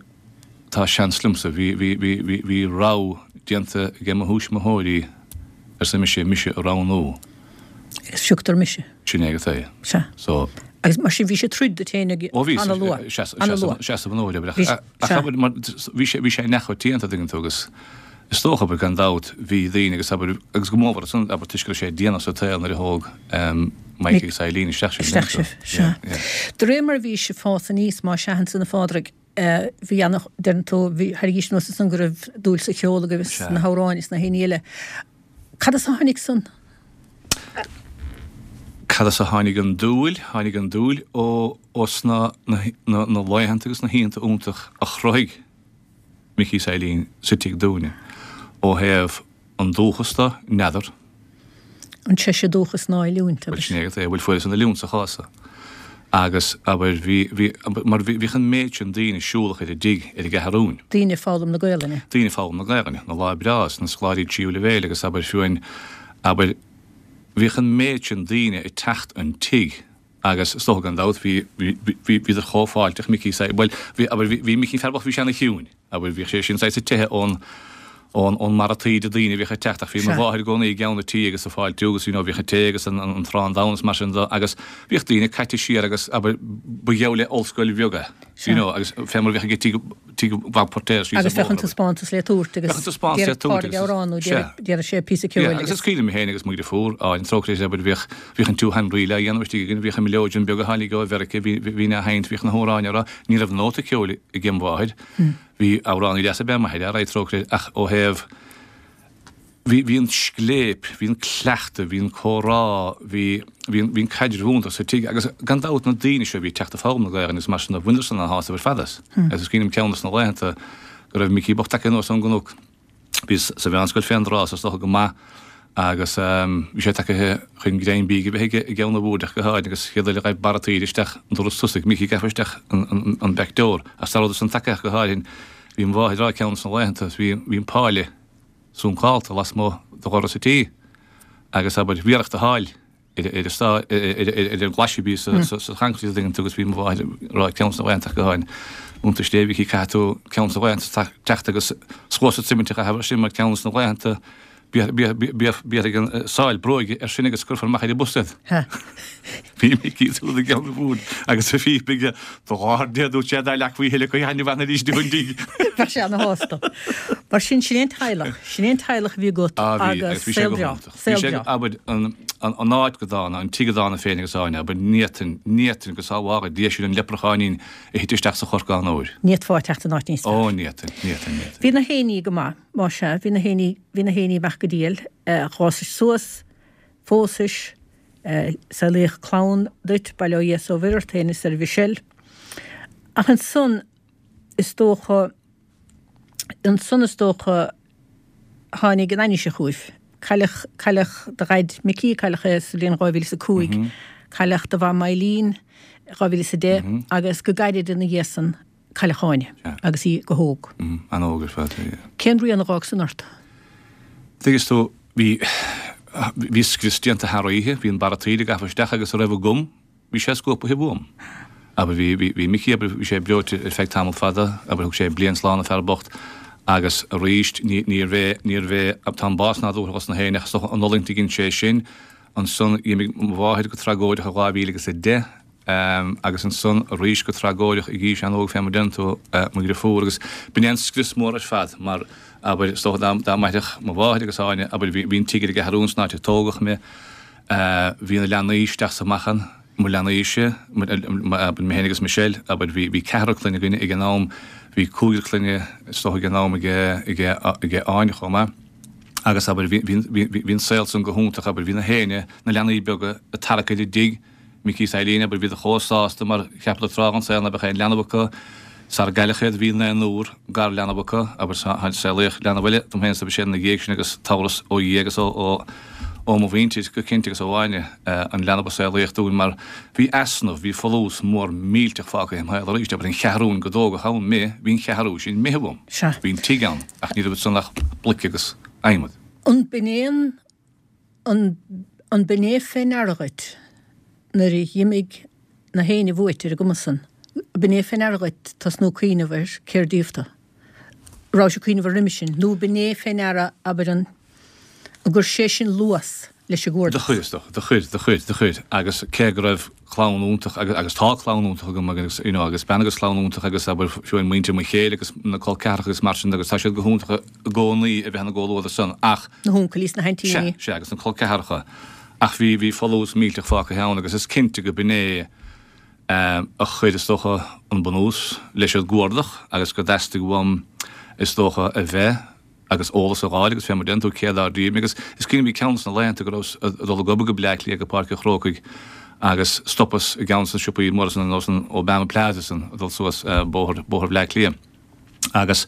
tá seans liomsa bhí bhí bhí bhí bhí rogha déanta ag mo thuismitheoirí arsa mise mise a roghnú. Agus phiocadar mise. Sin é go é. Sea. So Agus mar sin bhí sé troid duit féin Ó bhí an-luath. Seasamh seasamh an fhóid ach abair mar bhí sé bhí sé neamhchoitianta tuigeann tú agus is dócha abair gan dabht bhí daoine agus abair agus go mór san abair toisc go raibh sé déanach sa tsaol nuair a thóg Mike agus Eileen isteach sibh. Isteach sibh, sea. De réir mar a bhí sibh ag fás aníos má sea ansan a Phádraig bhí ana deireann tú bhí thairgís anuas ansan go raibh dúil sa cheol agaibh is na hamhráin is na héinní eile. Cad as a tháinig san? Cad as a tháinig an dúil? Tháinig an dúil ó ó sna na na na laethanta agus na hoícheanta iontach a chruthaigh Micí is Eileen sa tigh dúinne. Ó thaobh an dúchas de, n'fheadar. An treise dúchas ná oiliúint, abair. Bhuel, sin é, bhuel fuaireas an oiliúint sa chás so. Agus, abair, bhí, bhí, mar bhí, bhíodh an méid sin daoine siúlach ar an dtigh ar an gCeathrúin. Daoine ag foghlaim na Gaelainne. Daoine ag foghlaim na Gaelainne, na lá breá is na scoláirí tríú leibhéil agus, abair, fiú amháin, abair, bhíodh an méid sin daoine ag teacht an tigh agus is dócha gan dabht bhí, bhí, bhí, bhíodar chomh fáilteach, Micí, bhuel, bhí, abair, bhí, bhí Micí fear bocht, bhí sé ana chiúin. Abair, bhíodh sé sin saghas ag teitheadh ón, ón, ón mbarra taoide daoine a bhíodh ag teacht ach bhí mo mháthair i gcónaí i gceann an tí agus ag fáiltiú agus you know bhíodh an tae agus an, an, an arán donn agus mar sin de agus bhíodh daoine caite siar agus abair ba gheall le ollscoil bheag é you know agus fé mar a bheadh ag tigh, tigh Bhob Poirtéir síos an Agus bheadh an taispeántas le tabhairt agus Bheadh an taispeántas le tabhairt agus amhrán nó déarfadh sé píosa ceoil agus is cuimhin liom féin agus mo dheirfiúr Áine trócaire abair bhíodh, bhíodh an Two Hand Reel á dhéanamh istigh againn, bhíodh an mileoidean beag a tháinig ó Mheiriceá, bhí, bhí na sheinnt, bhíodh na hamhráin á rá, ní raibh nóta ceoil ag mo mháthair. Bhí amhránaí deas ab ea m'athair, alright, trócaire air, ach ó thaobh, bhí, bhí an scléip, bhí an cleachtadh, bhí an comhrá, bhí, bhí an, bhí an caidreamh iontach sa tigh agus gan dabht na daoine seo a bhí ag teacht ag foghlaim na Gaelainne agus mar sin de, bhaineadar san an-shásamh ar fad as. Agus is cuimhin liom ceann dos na laethanta go raibh Micí bocht tagtha anuas ón gcnoc, bhí sa mheánscoil fén dtráth so is dócha go maith agus bhí sé tagtha chun greim bídh a bheith aige i gceann an bhoird ach go háirithe agus chéad uair a ghaibh barra taoide isteach an doras tosaigh, Micí gafa isteach an back door ach sara rabhadar san tagtha ach go háirithe bhí mo mháthair ag rá ceann dos na laethanta bhí bhí an páile suncálta lasmuigh de dhoras an tí agus abair bhí iarracht a sháil ar an gclais a bhí sa choincréit an dtuigeann tú agus bhí mo mháthair ag rá ceann dos na laethanta ach go háirithe iontais Dé Mhicí caithfidh tú ceann dos na laethanta teacht agus cluasa suiminte a chaitheamh air sin mar ceann dos na laethanta béarfaidh an sáil bróige air sin agus cuirfear amach ar an bus iad. Bhí Micí siúd i gceann an bhoird agus a phíp aige do láthair Dé dúirt sé dá leagfaí a thuilleadh go haithne bhean arís di an dtigh. Bheadh sé ana-shásta. Mar sin, sin é an teaghlach, sin é an teaghlach a bhí agat agus saol breá, saol breá. Abair, an áit go dána, an tigh go dána féin agus Áine, abair, ní fhéadfainn, ní fhéadfainn go sábhála Dia sinn an leipreacháinín a thit isteach sa chorcán óir. Ní fhéadfá teacht in áit níos fearr. Ó, ní fhéadfainn, ní fhéadfainn, ní fhéadfainn. Bhí na héinní go maith, má sea, bhí na héinní, bhí na héinní amach go diail, d'fhásais suas, phósais, saolaíodh clann duit, bail ó Dhia is ó Mhuire ort féin is ar Mhichelle. Ach ansan, is dócha, ansan is dócha, tháinig an ainnise chugaibh. Cailleadh, cailleadh do dhaid Micí, cailleadh é sa bhliain dhá mhíle is a cúig, cailleadh do mham Eileen dhá mhíle is a deich agus go gairid ina dhiaidh san cailleadh Áine agus í go hóg. An-óg ar fad, yeah. Cén rian a dh'fhág san ort? Tuigeann tú, bhí, bhí scrios déanta thar oíche, bhí an barra taoide gafa isteach agus a raibh agam, Bhí sé scuabtha uaim. Abair, bhí, bhí, bhí Micí, abair, bhí sé breoite ar feadh tamall fada, abair, thug sé bliain slán an fear bocht agus arís ní, níorbh é, níorbh é, tá an bás nádúrtha dos na héinne ach is dócha an fhulaingt a dhein sé sin. Ansan d'imigh mo mháthair go tragóideach i dhá mhíle agus a deich agus ansan arís go tragóideach ag aois an-óg fé mar a deireann tú, mo dhriofúr agus b'in é an scrios mór ar fad mar, abair, is dócha dá, dá mairfeadh mo mháthair agus Áine, abair, bhí, bhí an tigh ar an gCeathrún san áit a tógadh mé, Bhí na leanaí isteach is amach ann, mo leanaíse, abair, mé féin agus Michelle, abair, bhí, bhí ceathrar clainne againne ag an am, bhí cúigear clainne is dócha ag an am ag, ag, ag Áine chomh maith. Agus abair bhí bhí bhí an saol san go hiontach abair bhí na héinne, na leanaí beaga ag tarrac ar an dtigh, Micí is Eileen abair bhíodar chomh sásta mar cheapadar tráth den saol ná beadh aon leanbh acu. Sara gcailleadh iad bhí naonúr garleanbh acu abair saolaíodh leanbh eile dom féin sa bhliain ina dhiaidh sin agus tabharthas ó Dhia agus ó ó mo mhuintir go cinnte agus ó Áine an leanbh a saolaíodh dúinn mar bhí easnamh, bhí folús mór millteach fágtha im shaol arís abair an cheathrúin go dtógadh ann mé, bhí an cheathrú sin imithe uaim. Sea. Bhí an tigh ann ach ní raibh ansan ach bloic agus adhmad. An b'in é an an an b'in é fé ndeara dhuit nuair a dh'imigh na héinne uait ar an gcuma san? B'in é fé ndeara dhuit tosnú cuimhneamh ar cér díobh tú? Rabhais ag cuimhneamh air roimis sin nó b'in é fé ndeara abair an an gcuir sé sin luas leis an Do gcuardach? chuir, is dócha, do chuir, do chuir, do chuir. Agus cé go raibh clann iontach agus, agus tá clann iontach agam agus, you know, agus bean agus clann iontach agus abair fiú amháin muintir mo chéile agus na col ceathracha agus mar sin de agus tá siad go hiontach i gcónaí a bheith ina gcomhluadar san ach, Na huncailí is na sea, haintíní. sea, agus na col ceathracha. Ach bhí, bhí folús millteach fágtha ann agus is cinnte go b'in é a chuir, is dócha, an bunús leis an gcuardach agus go dteastaigh uaim, is dócha, a bheith agus eolas a fháil agus fé mar deireann tú cé dár díobh mé agus is cuimhin liom bhí ceann de na laethanta go rabhas ag dul ag obair go Bleá Cliath go Páirc an Chrócaigh agus stopas i gceann de na siopaí móra san ar nós an Obama Plaza san ag dul suas bóthar bóthar Bhleá Cliath agus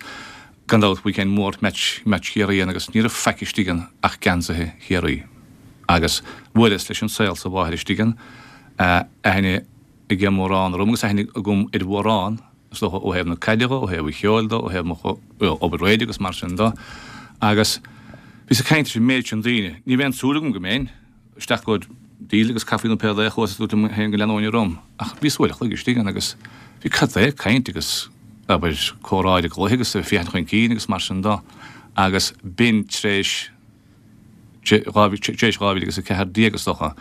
gan dabht weekend mór match match Chiarraí ann agus ní raibh faic istigh ann ach geansaithe Chiarraí agus bhuaileas leis an saol is a mháthair istigh ann aithne ag mórán orm agus aithne agam ar mhórán, is dócha, ó thaobh na caide dho, ó thaobh an cheoil dho, ó thaobh mo obair raidió agus mar sin dho. Agus bhíos ag caint leis an méid sin daoine. Ní raibh aon tsúil agam go mbeinn isteach go díol agus caife nó pé rud é, chuas is dúirt liom féin go leanóinn orm. Ach bhíos uair a chloig istigh ann agus bhí cad é caint agus abair comhrá ar an gcluiche agus féachaint chun cinn agus mar sin dho. Agus b'in tar éis tar éis dhá mhíle agus a ceathair déag is dócha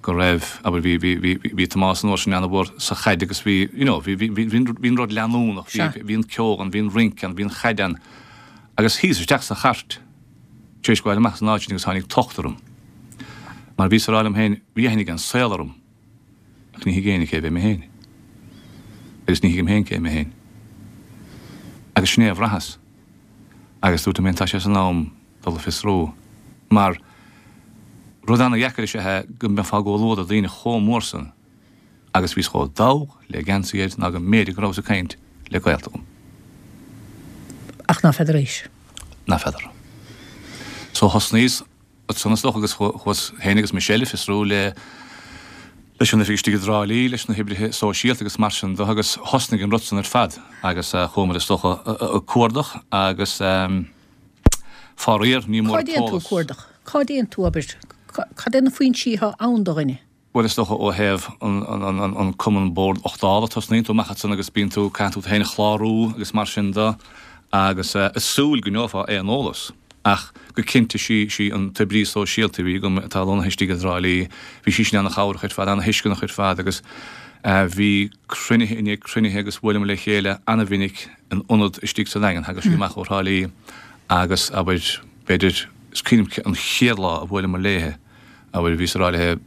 go raibh, abair, bhí, bhí, bhí, bhí Tomás an uair sin ana-mhór sa chaid agus bhí, you know, bhí, bhí, bhí, bhí an rud leanúnach, bhí, bhí an ceol ann, bhí an rince ann, bhí an chaid ann. Agus shuíos isteach sa chairt tar éis gabháil amach as an áit sin agus tháinig tocht orm. Mar bhíos ag rá liom féin, bhí aithne ag an saol orm ach ní thuig éinne cé bhí mé féin. Agus ní thuigim féin cé mé féin. Agus sin é a bhraitheas. Agus dúirt liom féin, tá sé san am dul a fiosrú. Mar rud ana-dheacair is ea é go mbeifeá i gcomhluadar daoine chomh mór san agus bhíos chomh dall le geansaí air ná go mb'fhéidir go rabhas ag caint le gaolta dhom. Ach ná feadar aois? Ná feadar. So thosnaíos ansan is dócha agus chuas féin agus Michelle ag fiosrú le leis an oifig istigh i dTrá Lí, leis na hoibrithe sóisialta agus mar sin de agus thosnaigh an rud san ar fad agus chuamar is dócha ag cuardach agus faraor ní mór Cá dtéann tú ag t-eolas. cuardach? Cá dtéann tú, abair, cad é na foinsí atá ann do dhuine? Bhuel, is dócha ó thaobh an Cumann Bord Uchtála, tosnaíonn tú amach ansan agus bíonn tú, caitheann tú tú féin a chlárú agus mar sin de agus ag súil go ngeofá aon eolas. Ach go cinnte sí sí an t-oibrí sóisialta a bhí agam atá lonnaithe istigh i dTrá Lí, bhí sí sin ana-chabhrach ar fad, ana-thuisceanach ar fad agus bhí cruinnithe i ndiaidh cruinnithe agus bhuaileamar le chéile ana-mhinic in ionad istigh sa Daingean, thagadh sí amach ó Thrá Lí agus, abair, b'fhéidir, is cuimhin liom an chéad lá a bhuaileamar léithe, abair, bhíos ag rá léithe,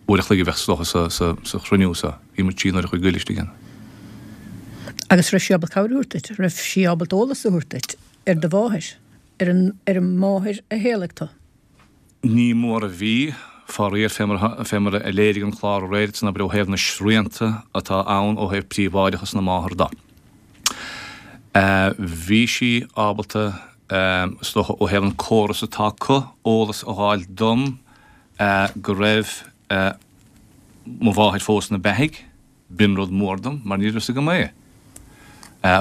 uair a chloig a bheadh is dócha sa, sa, sa chruinniú so, bhí muid trí n-uaire a chloig goil istigh ann. Agus raibh sí ábalta cabhair a thabhairt duit? Raibh sí ábalta eolas a thabhairt duit ar do mháthair, ar an, ar an máthair a shaolaigh tú? Ní mór a bhí, faraor, fé mar, fé mar a léirigh an clár aréir san, abair, ó thaobh na srianta atá ann ó thaobh príobháideachas na máthar de. Bhí sí ábalta, is dócha, ó thaobh an córas atá acu, eolas a dh'fháil dom go raibh mo mháthair fós ina beathaidh. B'in rud mór dom, mar ní raibh fhios agam é.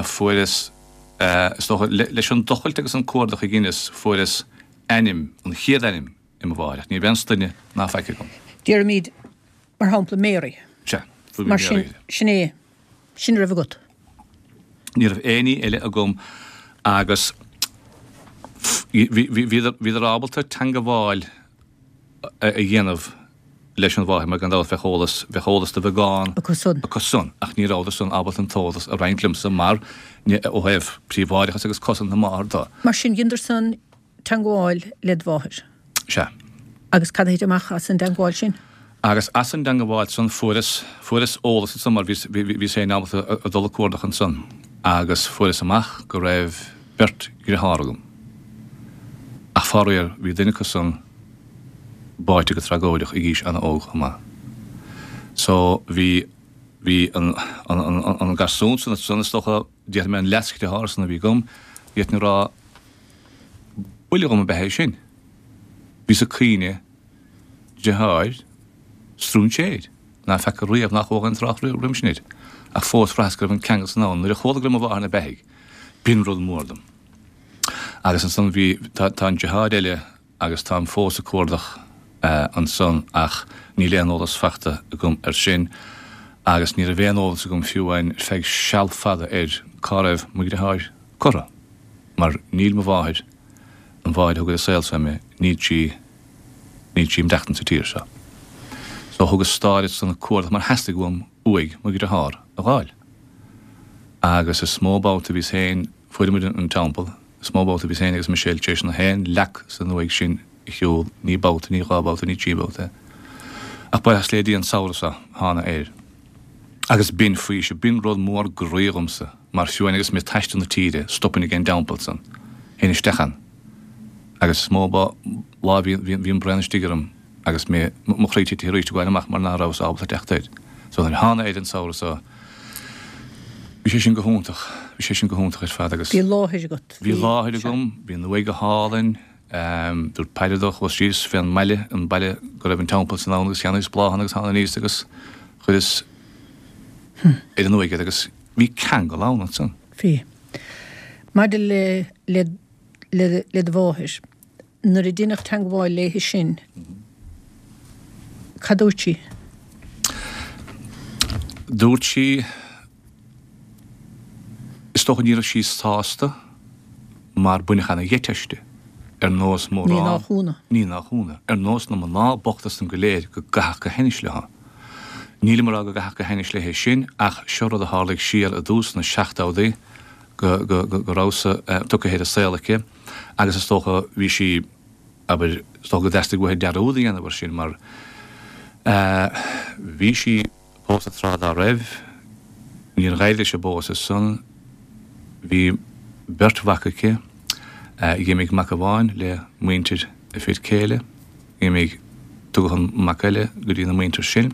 Fuaireas, is dócha, leis an dtochailt agus an cuardach a dheineas, fuaireas ainm, an chéad ainm i mo mháthair, ach ní raibh aon sloinne ná faic agam. Déarfaimid, mar shampla, Mary. Sea, fuair mé Mar sin, Mary. sin é, sin a raibh agat. Ní raibh aon ní eile agam agus bhíodar, bhíodar ábalta teangabháil a dhéanamh leis an mháthair mar gan dabht bheadh eolas, bheadh eolas de bheagán Acu san. acu san ach ní rabhadar san ábalta an t-eolas a roinnt liomsa mar, ó thaobh príobháideachas agus cosaint na máthar de. Mar sin, dheineadar san teangabháil led mháthair. Sea. Agus cad a thit amach as an dteangabháil sin? Agus as an dteangabháil san fuaireas, fuaireas eolas ansan mar bhíos, bhí, bhíos féin ábalta a dul ag cuardach ansan agus fuaireas amach go raibh beirt dhriotháir agam. Ach faraor bhí duine acu san báite go tragóideach ag aois an-óg chomh maith. So bhí bhí an an an an garsún san san is dócha déarfaidh mé an leasdeartháir san a bhí agam, d'fhéadfainn a rá buille dhom ab ea é sin. Bhíos ag caoineadh deartháir stróinséir ná feaca riamh nach bhfuair aon trácht roimhe sin air. Ach fós bhraitheas go raibh an ceangal san ann. Nuair a chuala go raibh mo mháthair ina beathaidh, b'in rud mór dom. Agus ansan bhí, tá tá an deartháir eile agus táim fós ag cuardach ansan ach níl aon eolas fachta agam air sin agus ní raibh aon eolas agam fiú amháin ar feadh seal fada ar cá raibh mo dheartháir curtha mar níl mo mháthair, an mháthair a thug ar an saol seo mé, níl sí, níl sí ag maireachtaint sa tír seo. So thugas stad ansan ag cuardach mar theastaigh uaim uaigh mo dhearthár a dh'fháil. Agus is mó babhta a bhíos féin, fuair muid an teampall, is mó babhta a bhíos féin agus Michelle tar éis na haon leac san uaigh sin a shiúl, ní babhta, ní dhá bhabhta, ní trí bhabhta. Ach buíochas le Dia an samhradh seo thána air. Agus b'in faoiseamh, b'in rud mór groí dhomsa, mar fiú amháin agus mé ag taisteal na tíre, stopfainn ag an dteampall san, théinn isteach ann. Agus is mó lá a bhí an braon istigh orm agus mé, mo chroí titithe arís ag gabháil amach mar ná rabhas ábalta teacht air. So nuair a thána air an samhradh seo, bhí sé sin go hiontach, bhí sé sin go hiontach ar fad agus. Bhí láthair agat. Bhí láthair agam, bhí an uaigh go hálainn, dúirt Peadar dó, chuas síos fén mbaile, an baile go raibh an teampall san ann agus cheannaíos bláthanna agus thána aníos agus chuireas ar an uaigh iad agus bhí ceangal ann ansan. Bhí. Maidir le, le, le, le do mháthair, nuair a deineadh teangmháil léi sin, cad dúirt sí? Dúirt sí, is dócha ní raibh sí sásta mar baineadh ana-gheit aisti, ar nós Ní mórán, nach ionadh. ní nach ionadh, ar nós na mná bochta san go léir go gcaithfeadh go hainnis leo. Nílim ag rá go gcaithfeadh go hainnis léi sin ach seo rud a tharlaigh siar i dtús na seachtóidí go, go, go, go rabhas-sa tugtha ar an saol aici agus is dócha bhí sí, abair, is dócha go dteastaigh uaithi dearúd a dhéanamh air sin mar bhí sí pósta tráth dá raibh, níor dh'éirigh leis an bpósadh san, bhí beirt mhac aici, dh'imigh mac amháin le muintir a fir céile, dh'imigh, tugadh an mac eile go dtí na muintir sin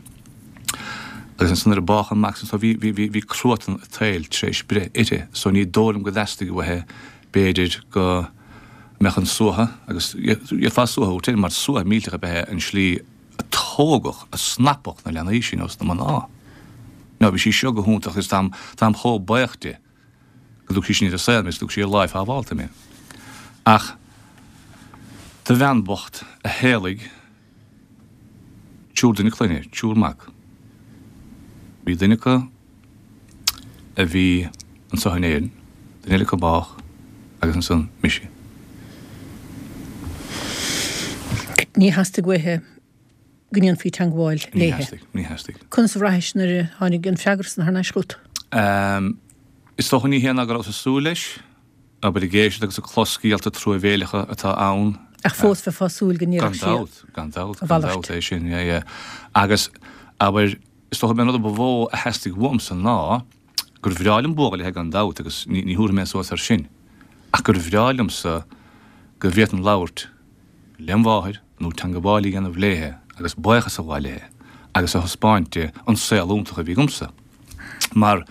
agus ansan nuair a bádh an mac san so bhí, bhí, bhí, bhí cruatan an tsaoil tar éis breith uirthi so ní dóigh liom go dteastaigh uaithi b'fhéidir go mbeadh an suaitheadh agus d'fhéadfá suaitheadh a thabhairt air mar suaitheadh millteach ab ea é an slí a tógadh, a snapadh na leanaí sin os na mná. Now bhí sí seo go hiontach agus táim, táim chomh buíoch di go dtug sí sin ar an saol mé is go dtug sí ar láimh shábhálta mé. Ach do bhean bocht a shaolaigh triúr duine clainne, triúr mac, bhí duine acu a bhí anso in Éirinn, duine eile acu bádh agus ansan mise. Ní theastaigh uaithi go ndéanfaí teangmháil Ní léi. theastaigh, ní theastaigh. Conas a bhraithis nuair a tháinig an freagra san thar n-ais chugat? Is dócha ní hé ná go rabhas ag súil leis, abair ag éisteacht agus ag clos scéalta truamhéileacha atá ann. Ach fós bheifeá ag súil go Gan ndéarfadh sí dabht, gan dabht, a gan mhalairt. dabht é sin, yeah, yeah. Agus, abair, is dócha b'é an rud a ba mhó a theastaigh uaimsa ná gur bhreá liom buachaill léi gan dabht agus ní, ní thabharfaidh mé suas air sin, ach gur bhreá liomsa go bhféadfainn labhairt lem mháthair nó teangabháil a dhéanamh léithe agus buíochas a ghabháil léithe agus a thaispeáint di an saol iontach a bhí agamsa. Mar,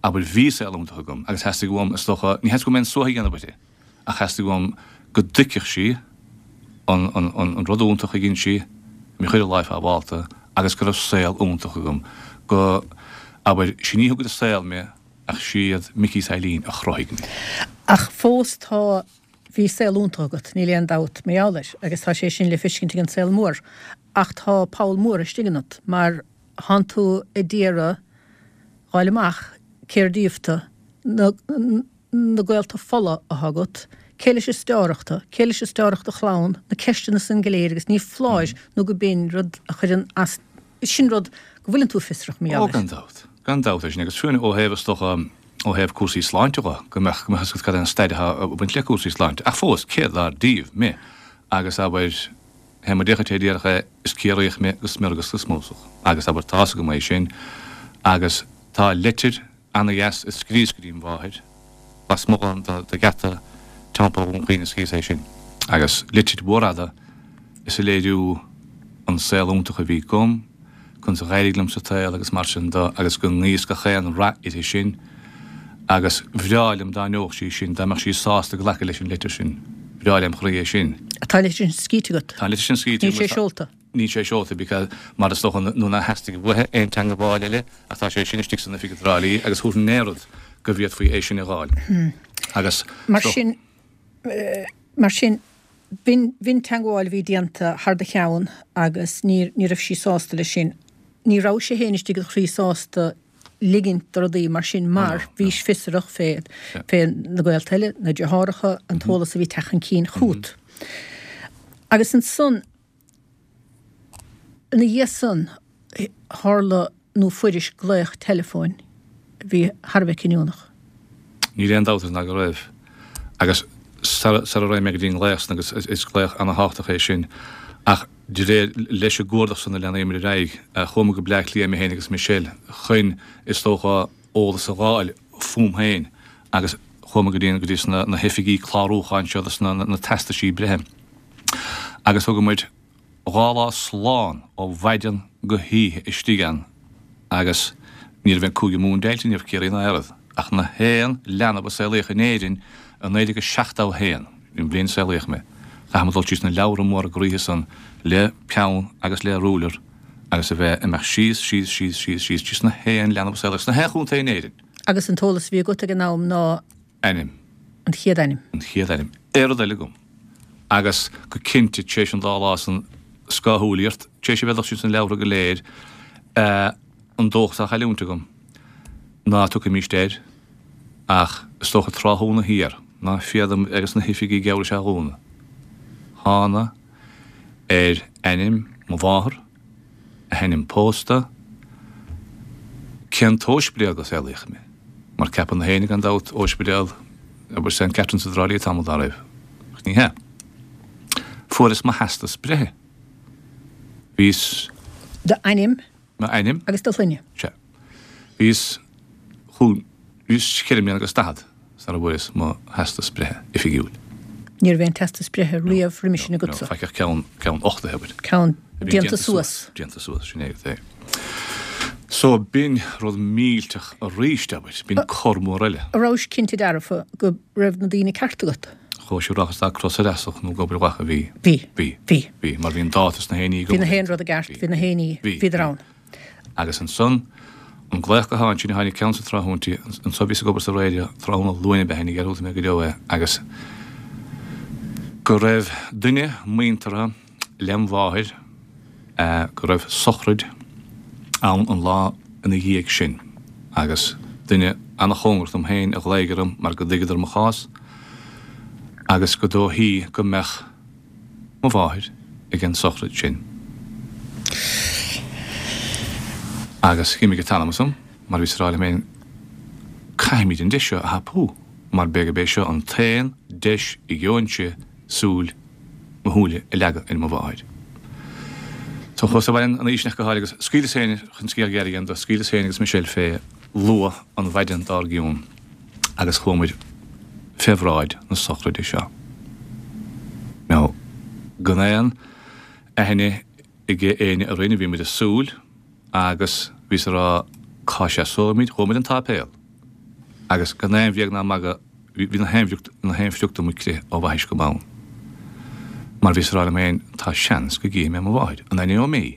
abair, bhí saol iontach agam agus theastaigh uaim, is dócha, ní theastaigh uaim aon suaitheadh a dhéanamh uirthi, ach theastaigh uaim go dtuigfeadh sí an, an, an, an rud iontach a dhein sí, mé a chur ar láimh shábhálta agus go raibh saol iontach agam, go, abair, sin í a thug ar an saol mé ach siad Micí is Eileen a chruthaigh mé. Ach fós tá, bhí saol iontach agat, níl aon dabht mar gheall air, agus tá sé sin le feiscint ag an saol mór. Ach tá poll mór istigh ionat, mar thánn tú ag iarraidh fháil amach cér díobh tú, na, na gaolta fola athá agat, cé leis is dearthárach tú, cé leis is dearthárach do chlann, na ceisteanna san go léir agus ní foláir nó go b'in rud a chuireann as, sin rud go bhfuileann tú fiosrach mar Ó, gheall air. gan dabht. Gan dabht é sin, agus fiú ó thaobh, is dócha, ó thaobh cúrsaí sláinte dhe, go mbeadh, go mbeadh a fhios agat cad é an staid atá ag baint le cúrsaí sláinte. Ach fós, cé dár díobh mé? Agus abair, fé mar a déarfadh an té a déarfadh é, is Ciarraíoch mé go smior agus go smúsach. Agus abair, tá fhios agam é sin. Agus tá leitir ana-dheas a scríos go dtí mo mháthair, lasmuigh de gheata Teampall Dhún Chaoin a scríos é sin. Agus litir mhór fhada is ag léiriú an saol iontach a bhí agam, conas a d'éirigh liom sa tsaol agus mar sin de agus go nguíos gach aon rath uirthi sin agus bhreá liom dá n-gheobhadh sí sin, dá mbeadh sí sásta glacadh leis an litir sin. Bhreá lem chroí é sin. Tá an litir sin scríte agat? Tá an litir sin scríte Níl sé seolta? Níl sé seolta because mar is dócha nó nár theastaigh uaithi aon teangabháil eile ach tá sé sin istigh san oifig i dTrá Lí agus thabharfainn aon rud go bhféadfaí é sin a dh'fháil. Agus Mar sin, mar sin, b'in, b'in teangabháil a bhí déanta thar do cheann agus ní, ní raibh sí sásta leis sin. Ní rabhais féin istigh i do chroí sásta ligint do rudaí mar sin mar bhís fiosrach fé, fé na gaolta eile, na deartháireacha, an t-eolas a bhí ag teacht chun cinn chugat. Agus ansan, ina dhiaidh san, tharla nó fuairis glaoch teileafóin a bhí thar a bheith cinniúnach. Níl aon dabht ná go raibh. Agus sara raghaidh mé go dtí an glaoch san, agus is glaoch ana-thábhachtach é sin, ach de réir leis an gcuardach san a leanaíomar ar aghaidh, chuamar go Bleá Cliath, mé féin agus Michelle, chun, is dócha, eolas a dh'fháil fúm féin agus chuamar go dtí, go dtí sna, na hoifigí clárúcháin seo dos na, na teastaisí breithe. Agus thug muid dhá lá slán ó mhaidin go hoíche istigh ann agus ní raibh an Cúige Mumhan deighilte, ní raibh Ciarraí ná aon rud, ach na haon leanbh a saolaíodh in Éirinn i naoi déag a seachtó a haon, an bhliain a saolaíodh mé, chaithfeadh muid dul síos na leabhra móra groíthe san le peann agus le ruler agus a bheith ag imeacht síos, síos, síos, síos, síos, síos na haon leanbh a saolaíodh sna haon chontae in Éirinn. Agus an t-eolas a bhí agat ag an am ná. Ainm. An chéad ainm. An chéad ainm. Aon rud eile agam. Agus go cinnte, tar éis an dá lá san scáthshúilíocht, tar éis a bheith ag dul síos na leabhra go léir, an dóchas á chailliúint agam, ná tiocfaimíst air, ach is dócha tráthnóna thiar, ná féadaim agus na hoifigí geall leis á dhúnadh. Thána ar ainm mo mháthar, a hainm pósta, cén t-óispidéal go saolaíodh mé, mar ceapann na héinne gan dabht, óispidéal, abair Saint Catherine's i dTrá Lí tamall dá raibh, ach ní hea. Fuaireas mo theastas breithe. Bhíos. D'ainm. M'ainm. Agus do shloinne. Sea. Bhíos chúig, bhíos ceithre mbliana agus daichead sara bhfuaireas mo theastas breithe oifigiúil. Ní raibh aon teastas breithe riamh roimhe sin agatsa? No, faic ach ceann, ceann uchtaithe, abair. Ceann déanta suas. Déanta suas, sin é agat é. So b'in rud millteach arís, abair, b'in cor mór eile. An rabhais cinnte dearfa go raibh na daoine ceart agat? Chuaigh sé rachas dá cros ar easach nó ag obair mhaith a bhí. Bhí. Bhí. Bhí. Bhí, mar bhí an dáta sna haon ní Bhí na haon rud i gceart, bhí na haon ní, bhíodar ann. Agus ansan, an glaoch gutháin sin a tháinig ceann sa tráthnóintí, anso bhíos ag obair sa raidió, tráthnóna Luain ab ea, ní dhearúdfaidh mé go deo é, agus go raibh duine muinteartha lem mháthair, go raibh sochraid ann an lá ina dhiaidh sin agus duine ana-chóngarach dom féin a ghlaoigh orm mar go dtuigeadar mo chás agus go dóichí go mbeadh mo mháthair ag an sochraid sin. Agus dh'imigh an t-anam asam mar bhíos ag rá liom féin caithfimid an deis seo a thapú mar b'fhéidir gurb é seo an t-aon deis a gheobhainnse súil mo shúile a leagadh ar mo mháthair. So chuas abhaile an oíche sin ach go háirithe agus scaoileas féin, chun scéal gearr a dhéanamh de, scaoileas féin agus Michelle fé luath an mhaidin dár gcionn agus chuamair fé bhráid na sochraide seo. Now, gan aon aithne ag éinne orainn, bhí muid ag súil agus bhíos ag rá cá seasóimid, chuamair an tsáipéal agus gan aon bhréag ná magadh, Bhí na haon na haon phrioc do mo chrith ó bhaithis go bonn. Mar bhíos ag rá liom féin, tá seans go gcífidh mé mo mháthair, an aithneoidh mé í?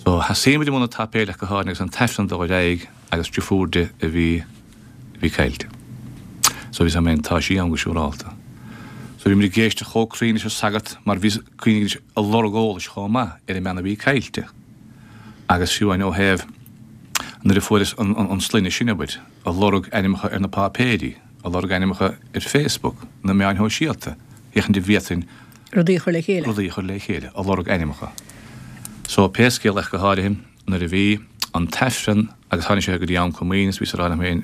So, sheasaigh muid i mbun an tsáipéil ach go háirithe agus an t-aifreann dul ar aghaidh agus deirfiúr di a bhí, a bhí caillte. So bhíos ag rá liom féin, tá sí ann go siúrálta. So bhí muid ag éisteacht chomh cruinn leis an sagart mar bhíos, cuimhnigh anois, ag lorg eolais chomh maith ar an mbean a bhí caillte. Agus fiú amháin ó thaobh nuair a fuaireas an, an, an sloinne sin, abair, ag lorg ainmneacha ar na páipéirí, ag lorg ainmneacha ar Facebook, na meáin shóisialta, féachaint an bhféadfainn Rudaí a chur le chéile. rudaí a chur le chéile, ag lorg ainmneacha. So, pé scéal ach go háirithe, nuair a bhí an t-aifreann agus tháinig sé go dtí am comaoine is bhíos ag rá liom féin,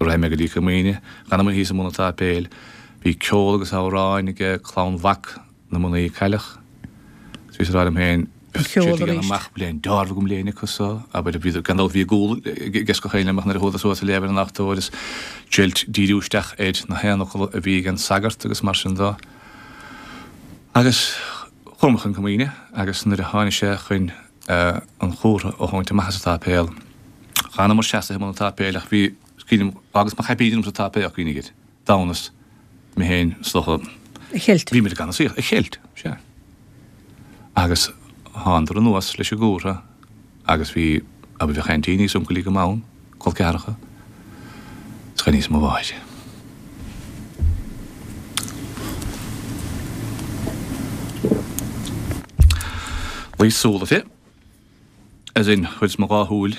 raghaidh mé go dtí comaoine, d'fhanamair thíos i mbun an tsáipéil, bhí ceol agus amhráin ag clann mhac na mnaoi a cailleadh, is bhíos ag rá liom féin, Ceol arís. Amach bliain dearbh agam léine acu so, abair bhí gan dabht bhí a gcúl ag gach éinne amach nuair a chuadar suas a léamh ar an altóir is triailt díriú isteach ar na haon fhocal a bhí ag an sagart agus mar sin dó. Agus chuamar chun comaoine agus nuair a tháinig sé chun an chumhra a thabhairt amach as an tsáipéal, d'fhanamar seasaithe i mbun an tsáipéil ach bhí, agus mo chaipín orm sa tsáipéal, cuimhnigh air, d'fhanas mé féin is dócha. A cheilt. Bhí muid ag ansaíocht, a cheilt, sea. Agus thánadar anuas leis an gcumhra agus bhí, abair, bheadh aintíní is uncailí agam ann, col ceathracha, is chuimhníos ar mo mháthair. Luigh súil uirthi, as in, chuireas mo dhá shúil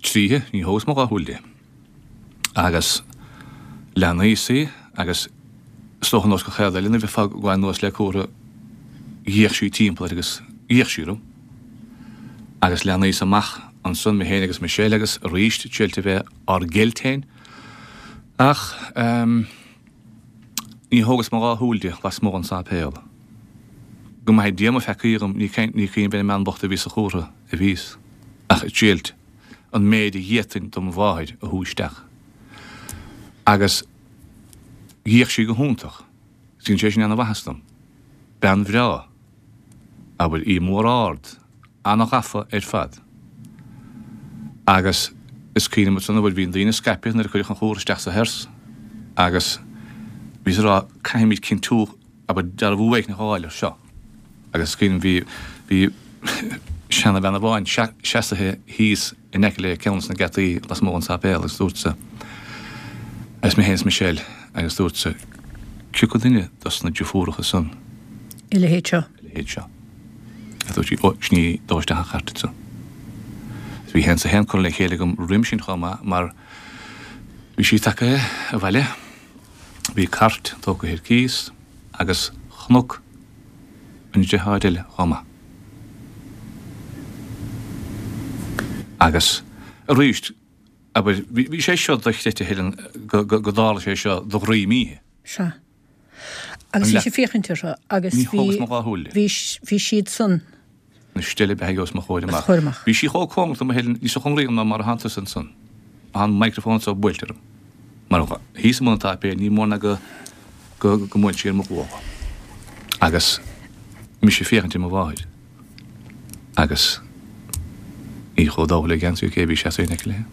tríthi, ní thógas mo dhá shúil di. Agus leanaíos í agus is dócha nós gach chéad eile nuair a bheifeá ag gabháil anuas le cumhra d'fhéach sí timpeall air agus d'fhéach sí orm. Agus leanaíos amach ansan mé féin agus Michelle agus arís triailt a bheith ár gceilt féin. Ach ehm ní thógas mo dhá shúil di lasmuigh den sáipéal. Go maithe Dia mo pheacaí dhom ní cuimhin ar an mbean bocht a bhí sa chumhra a bhíos ach ag triailt an méid a d'fhéadfainn dom mháthair a shú isteach. Agus d'fhéach sí go hiontach. Dhein sé sin ana-mhaitheas dom. Bean bhreá. Abair, í mór ard, ana-ghafa ar fad. Agus is cuimhin liom ansan, abair, bhí na daoine scaipthe nuair a cuireadh an chumhra isteach sa hearse agus bhíos ag rá, caithfimid cinntiú, abair, dearbhú éigin a fháil ar seo. Agus is cuimhin liom, bhí, bhí seanabhean amháin seasaithe thíos in aice le ceann de na geataí lasmuigh den sáipéal agus dúirt se, agus mé féin is Michelle, agus dúirt se, cioca duine dos na deirfiúracha san? A leithéid seo. A leithéid seo. Agus dúirt sí, ó, sin í, dó isteach an chairt ansan. Agus bhí a haon is a haon curtha le chéile agam roimhe sin chomh maith mar bhí sí tagtha abhaile, bhí cairt tógtha ar cíos agus chonac an deartháir eile chomh maith. Agus arís, abair, bhí sé seo dochreidte a Helen, go dtarla sé seo do dhroim oíche. Sea. Agus bhí sí ag féachaint orthu agus Ní thógas mo dhá shúil di. bhí siad san. Na steille beathaidh os mo chomhair amach. Os chomhair amach. Bhí sí chomh cóngarach dom a Helen, níos cóngaraí dom ná mar a thánn tusa ansan. Tá an microphone so buailte orm. Mar thíos i mbun an tsáipéil, ní mór ná go go go mbuail sí ar mo ghuala. Agus mise ag féachaint ar mo mháthair. Agus í chomh dubh le geansaí cé bhí seasamh in aice léi.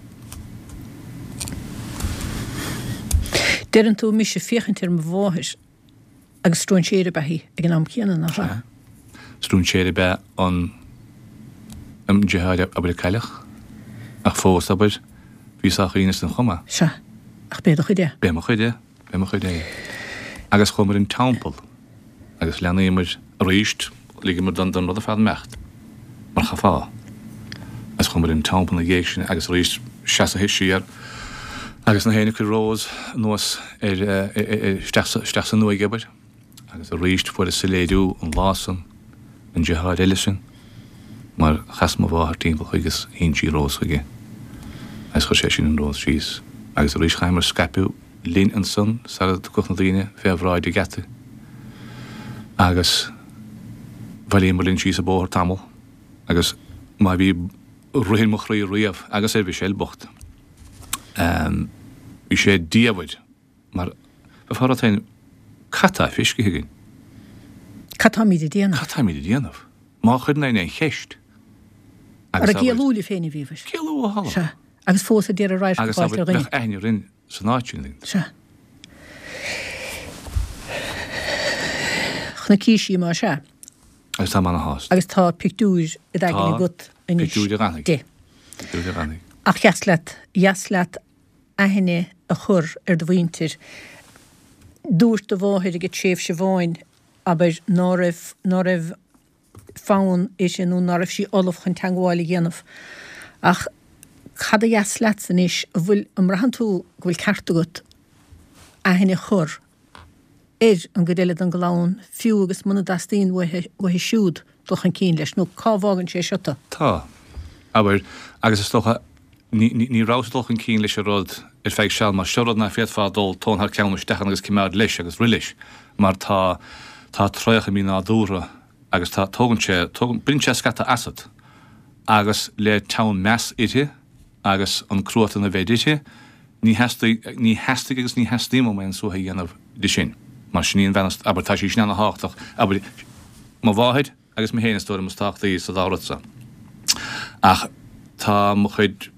Deireann tú mise ag féachaint ar mo mháthair agus stróinséir ab ea í ag an am céanna, nach ea? Sea. Stróinséir ab ea an an deartháir abair a cailleadh, ach fós, abair, bhí sách aoibhinn san chuma. Sea. Ach b'é do chuid é. B'é mo chuid é. B'é mo chuid é. Agus chuamar an teampall agus leanaíomar arís, ligeamar don don rud ar fad imeacht, mar chaithfeá. Agus chuamar an teampall ina dhiaidh sin agus arís seasaithe siar agus na héinne ag cur rós anuas ar isteach isteach san uaigh, abair. Agus arís fuaireas soiléiriú an lá san, an deartháir eile sin, mar chas mo mháthair timpeall chuige is shín sí rós chuige agus chuir sé sin an rós síos. Agus arís chaitheamar scaipeadh linn ansan sara dtiocfadh na daoine fé bhráid an gheata. Agus bhailíomar linn síos an bóthar tamall agus má bhí rith ar mo chroí riamh agus ar Mhichelle bocht, bhí sé diamhair mar bheifeá ag rá féin, cad tá feiscithe againn? Cad táimid ag déanamh? Cad táimid ag déanamh? Má chuireann éinne an cheist agus Ar ag éalú libh féin a bhíobhair? Ag éalú ó thalamh. Sea. Agus fós ag iarraidh radharc a Agus fháilt ar dhuine. bheadh aithne orainn san áit sin. Sea. Chonaicís í más ea. Agus tá mé ana-shásta. Agus tá pictiúr i d'aigne Tá. agat anois Pictiúr a dh'fhanfaidh. di. Pictiúr a dh'fhanfaidh. Ach dheas leat, dheas leat aithne a chur ar do mhuintir. Dúirt do mháthair ag tréimhse amháin, abair, ná raibh, ná raibh fonn uirthi nó ná raibh sí ullamh chun teagmháil a dhéanamh. Ach cad a dheas leatsa anois, an bhfuil, an mbraitheann tú go bhfuil ceart agat aithne a chur ar an gcuid eile den gclann, fiú agus muna dteastaíonn uaithi, uaithi siúd dul chun cinn leis, nó cá bhfágann sé seo tú? Tá. Abair, agus is dócha, ní, ní, ní rabhas ag dul chun cinn leis an rud ar feadh seal, mar seo rud ná féadfá dul tóin thar ceann isteach ann agus coimeád leis agus rith leis, mar tá, tá traochadh mínádúrtha Agus tá, tógann sé, tógann, baineann sé scata asat. Agus le teann meas uirthi agus an cruatan a bheith uirthi, ní theastaigh, ní theastaigh agus ní theastaíonn uaim aon suaitheadh a dhéanamh di sin. Mar sin í an bhean, abair, tá sí sin ana-thábhachtach, abair, mo mháthair agus mé féin is dóigh liom is tábhachtaí sa dá rud so. Ach tá mo chuid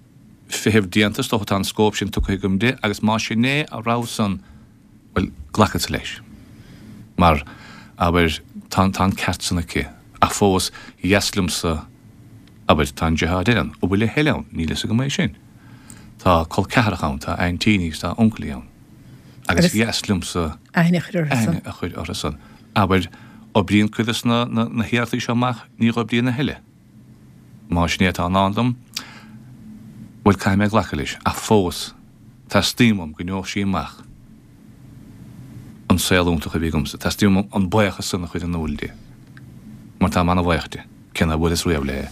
feithimh déanta, is dócha, tá an scóip sin tugtha agam di agus más sin é a rogha san, bhuel, glacfadsa leis. Mar, abair, tá, tá an ceart san aici. Ach fós, dheas liomsa, abair, tá an deartháir ann, an bhfuil a thuilleadh ann? Níl fhios agam é sin. Tá col ceathracha ann, tá aintíní agus tá uncailí ann. Agus dheas liomsa aithne a chur orthu san. Aithne a chur orthu san. Abair, oibríonn cuid de na, na, na hiarrachtaí seo amach, ní dh'oibríonn a thuilleadh. Más sin é atá i ndán dom, bhuel, caithfidh mé glacadh leis. Ach fós, teastaíonn uaim go ngeobhadh sí amach an saol iontach a bhí agamsa. Teastaíonn uaim an buíochas san a chur in iúl di. Mar táim ana-bhuíoch di. Cé nár bhuaileas riamh léi,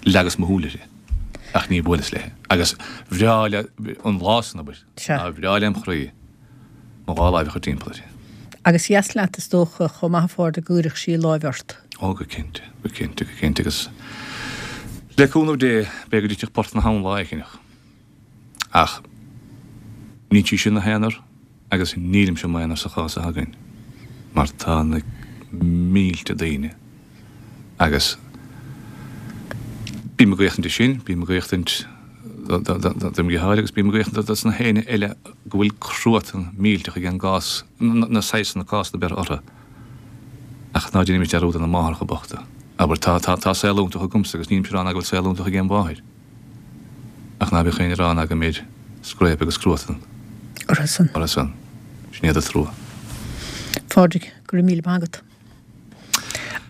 leagas mo shúil uirthi. Ach ní bhuaileas léi. Agus bhreá le, an lá san, abair, Sea. bhreá lem chroí mo dhá láimh a chur timpeall uirthi. Agus dheas leat, is dócha, chomh maith a Phádraig, go gcuirfeadh sí láimh ort. Ó, go cinnte, go cinnte, go cinnte. Agus le cúnamh Dé, b'fhéidir go dtitfeadh port na habhann lá éigineach. Ach níl sí ina haonar agus nílimse i m'aonar sa chás atá againn, mar tá na mílte daoine agus bím ag éachtaint de sin, bím ag éachtaint do mo dheartháir agus bím ag éachtaint dos na héinne eile go bhfuil cruatan millteach ag an gcás, na saghsanna cásanna beirthe orthu. Ach ná déanaimid dearúd ar na máithreacha bochta. Abair, tá, tá, tá saol iontach agamsa agus nílimse ag rá ná go bhfuil saol iontach ag aon mháthair. Ach ná bíodh éinne ag rá ná go mbíonn scréip agus cruatan orthu san. Orthu san. Sin iad an trua. Phádraig, go raibh míle maith agat.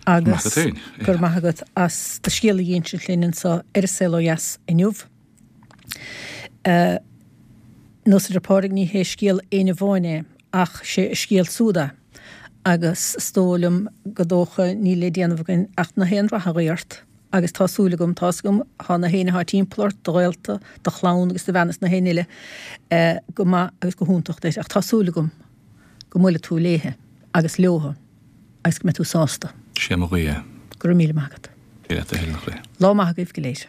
Maith Agus agat féin. go raibh maith agat as do scéal a dh'insint linn anseo ar An Saol Ó Dheas inniu. Nós a deir Pádraig, ní hé scéal éinne amháin é, ach sé a scéal súd é. Agus is dóigh liom go dócha níl le déanamh againn ach na haon rath a ghuí ort. Agus tá súil agam, tá's agam, tá na héinne atá timpeall ort, do ghaolta, do chlann agus do bhean is na héinne eile, go maith agus go hiontach duit. Ach tá súil agam go mbuailfidh tú léithe agus leotha agus go mbeidh tú sásta. Sé mo ghuí é. Go raibh míle maith agat. Dé leat a thuilleadh, a chroí. Lá maith agaibh go léir.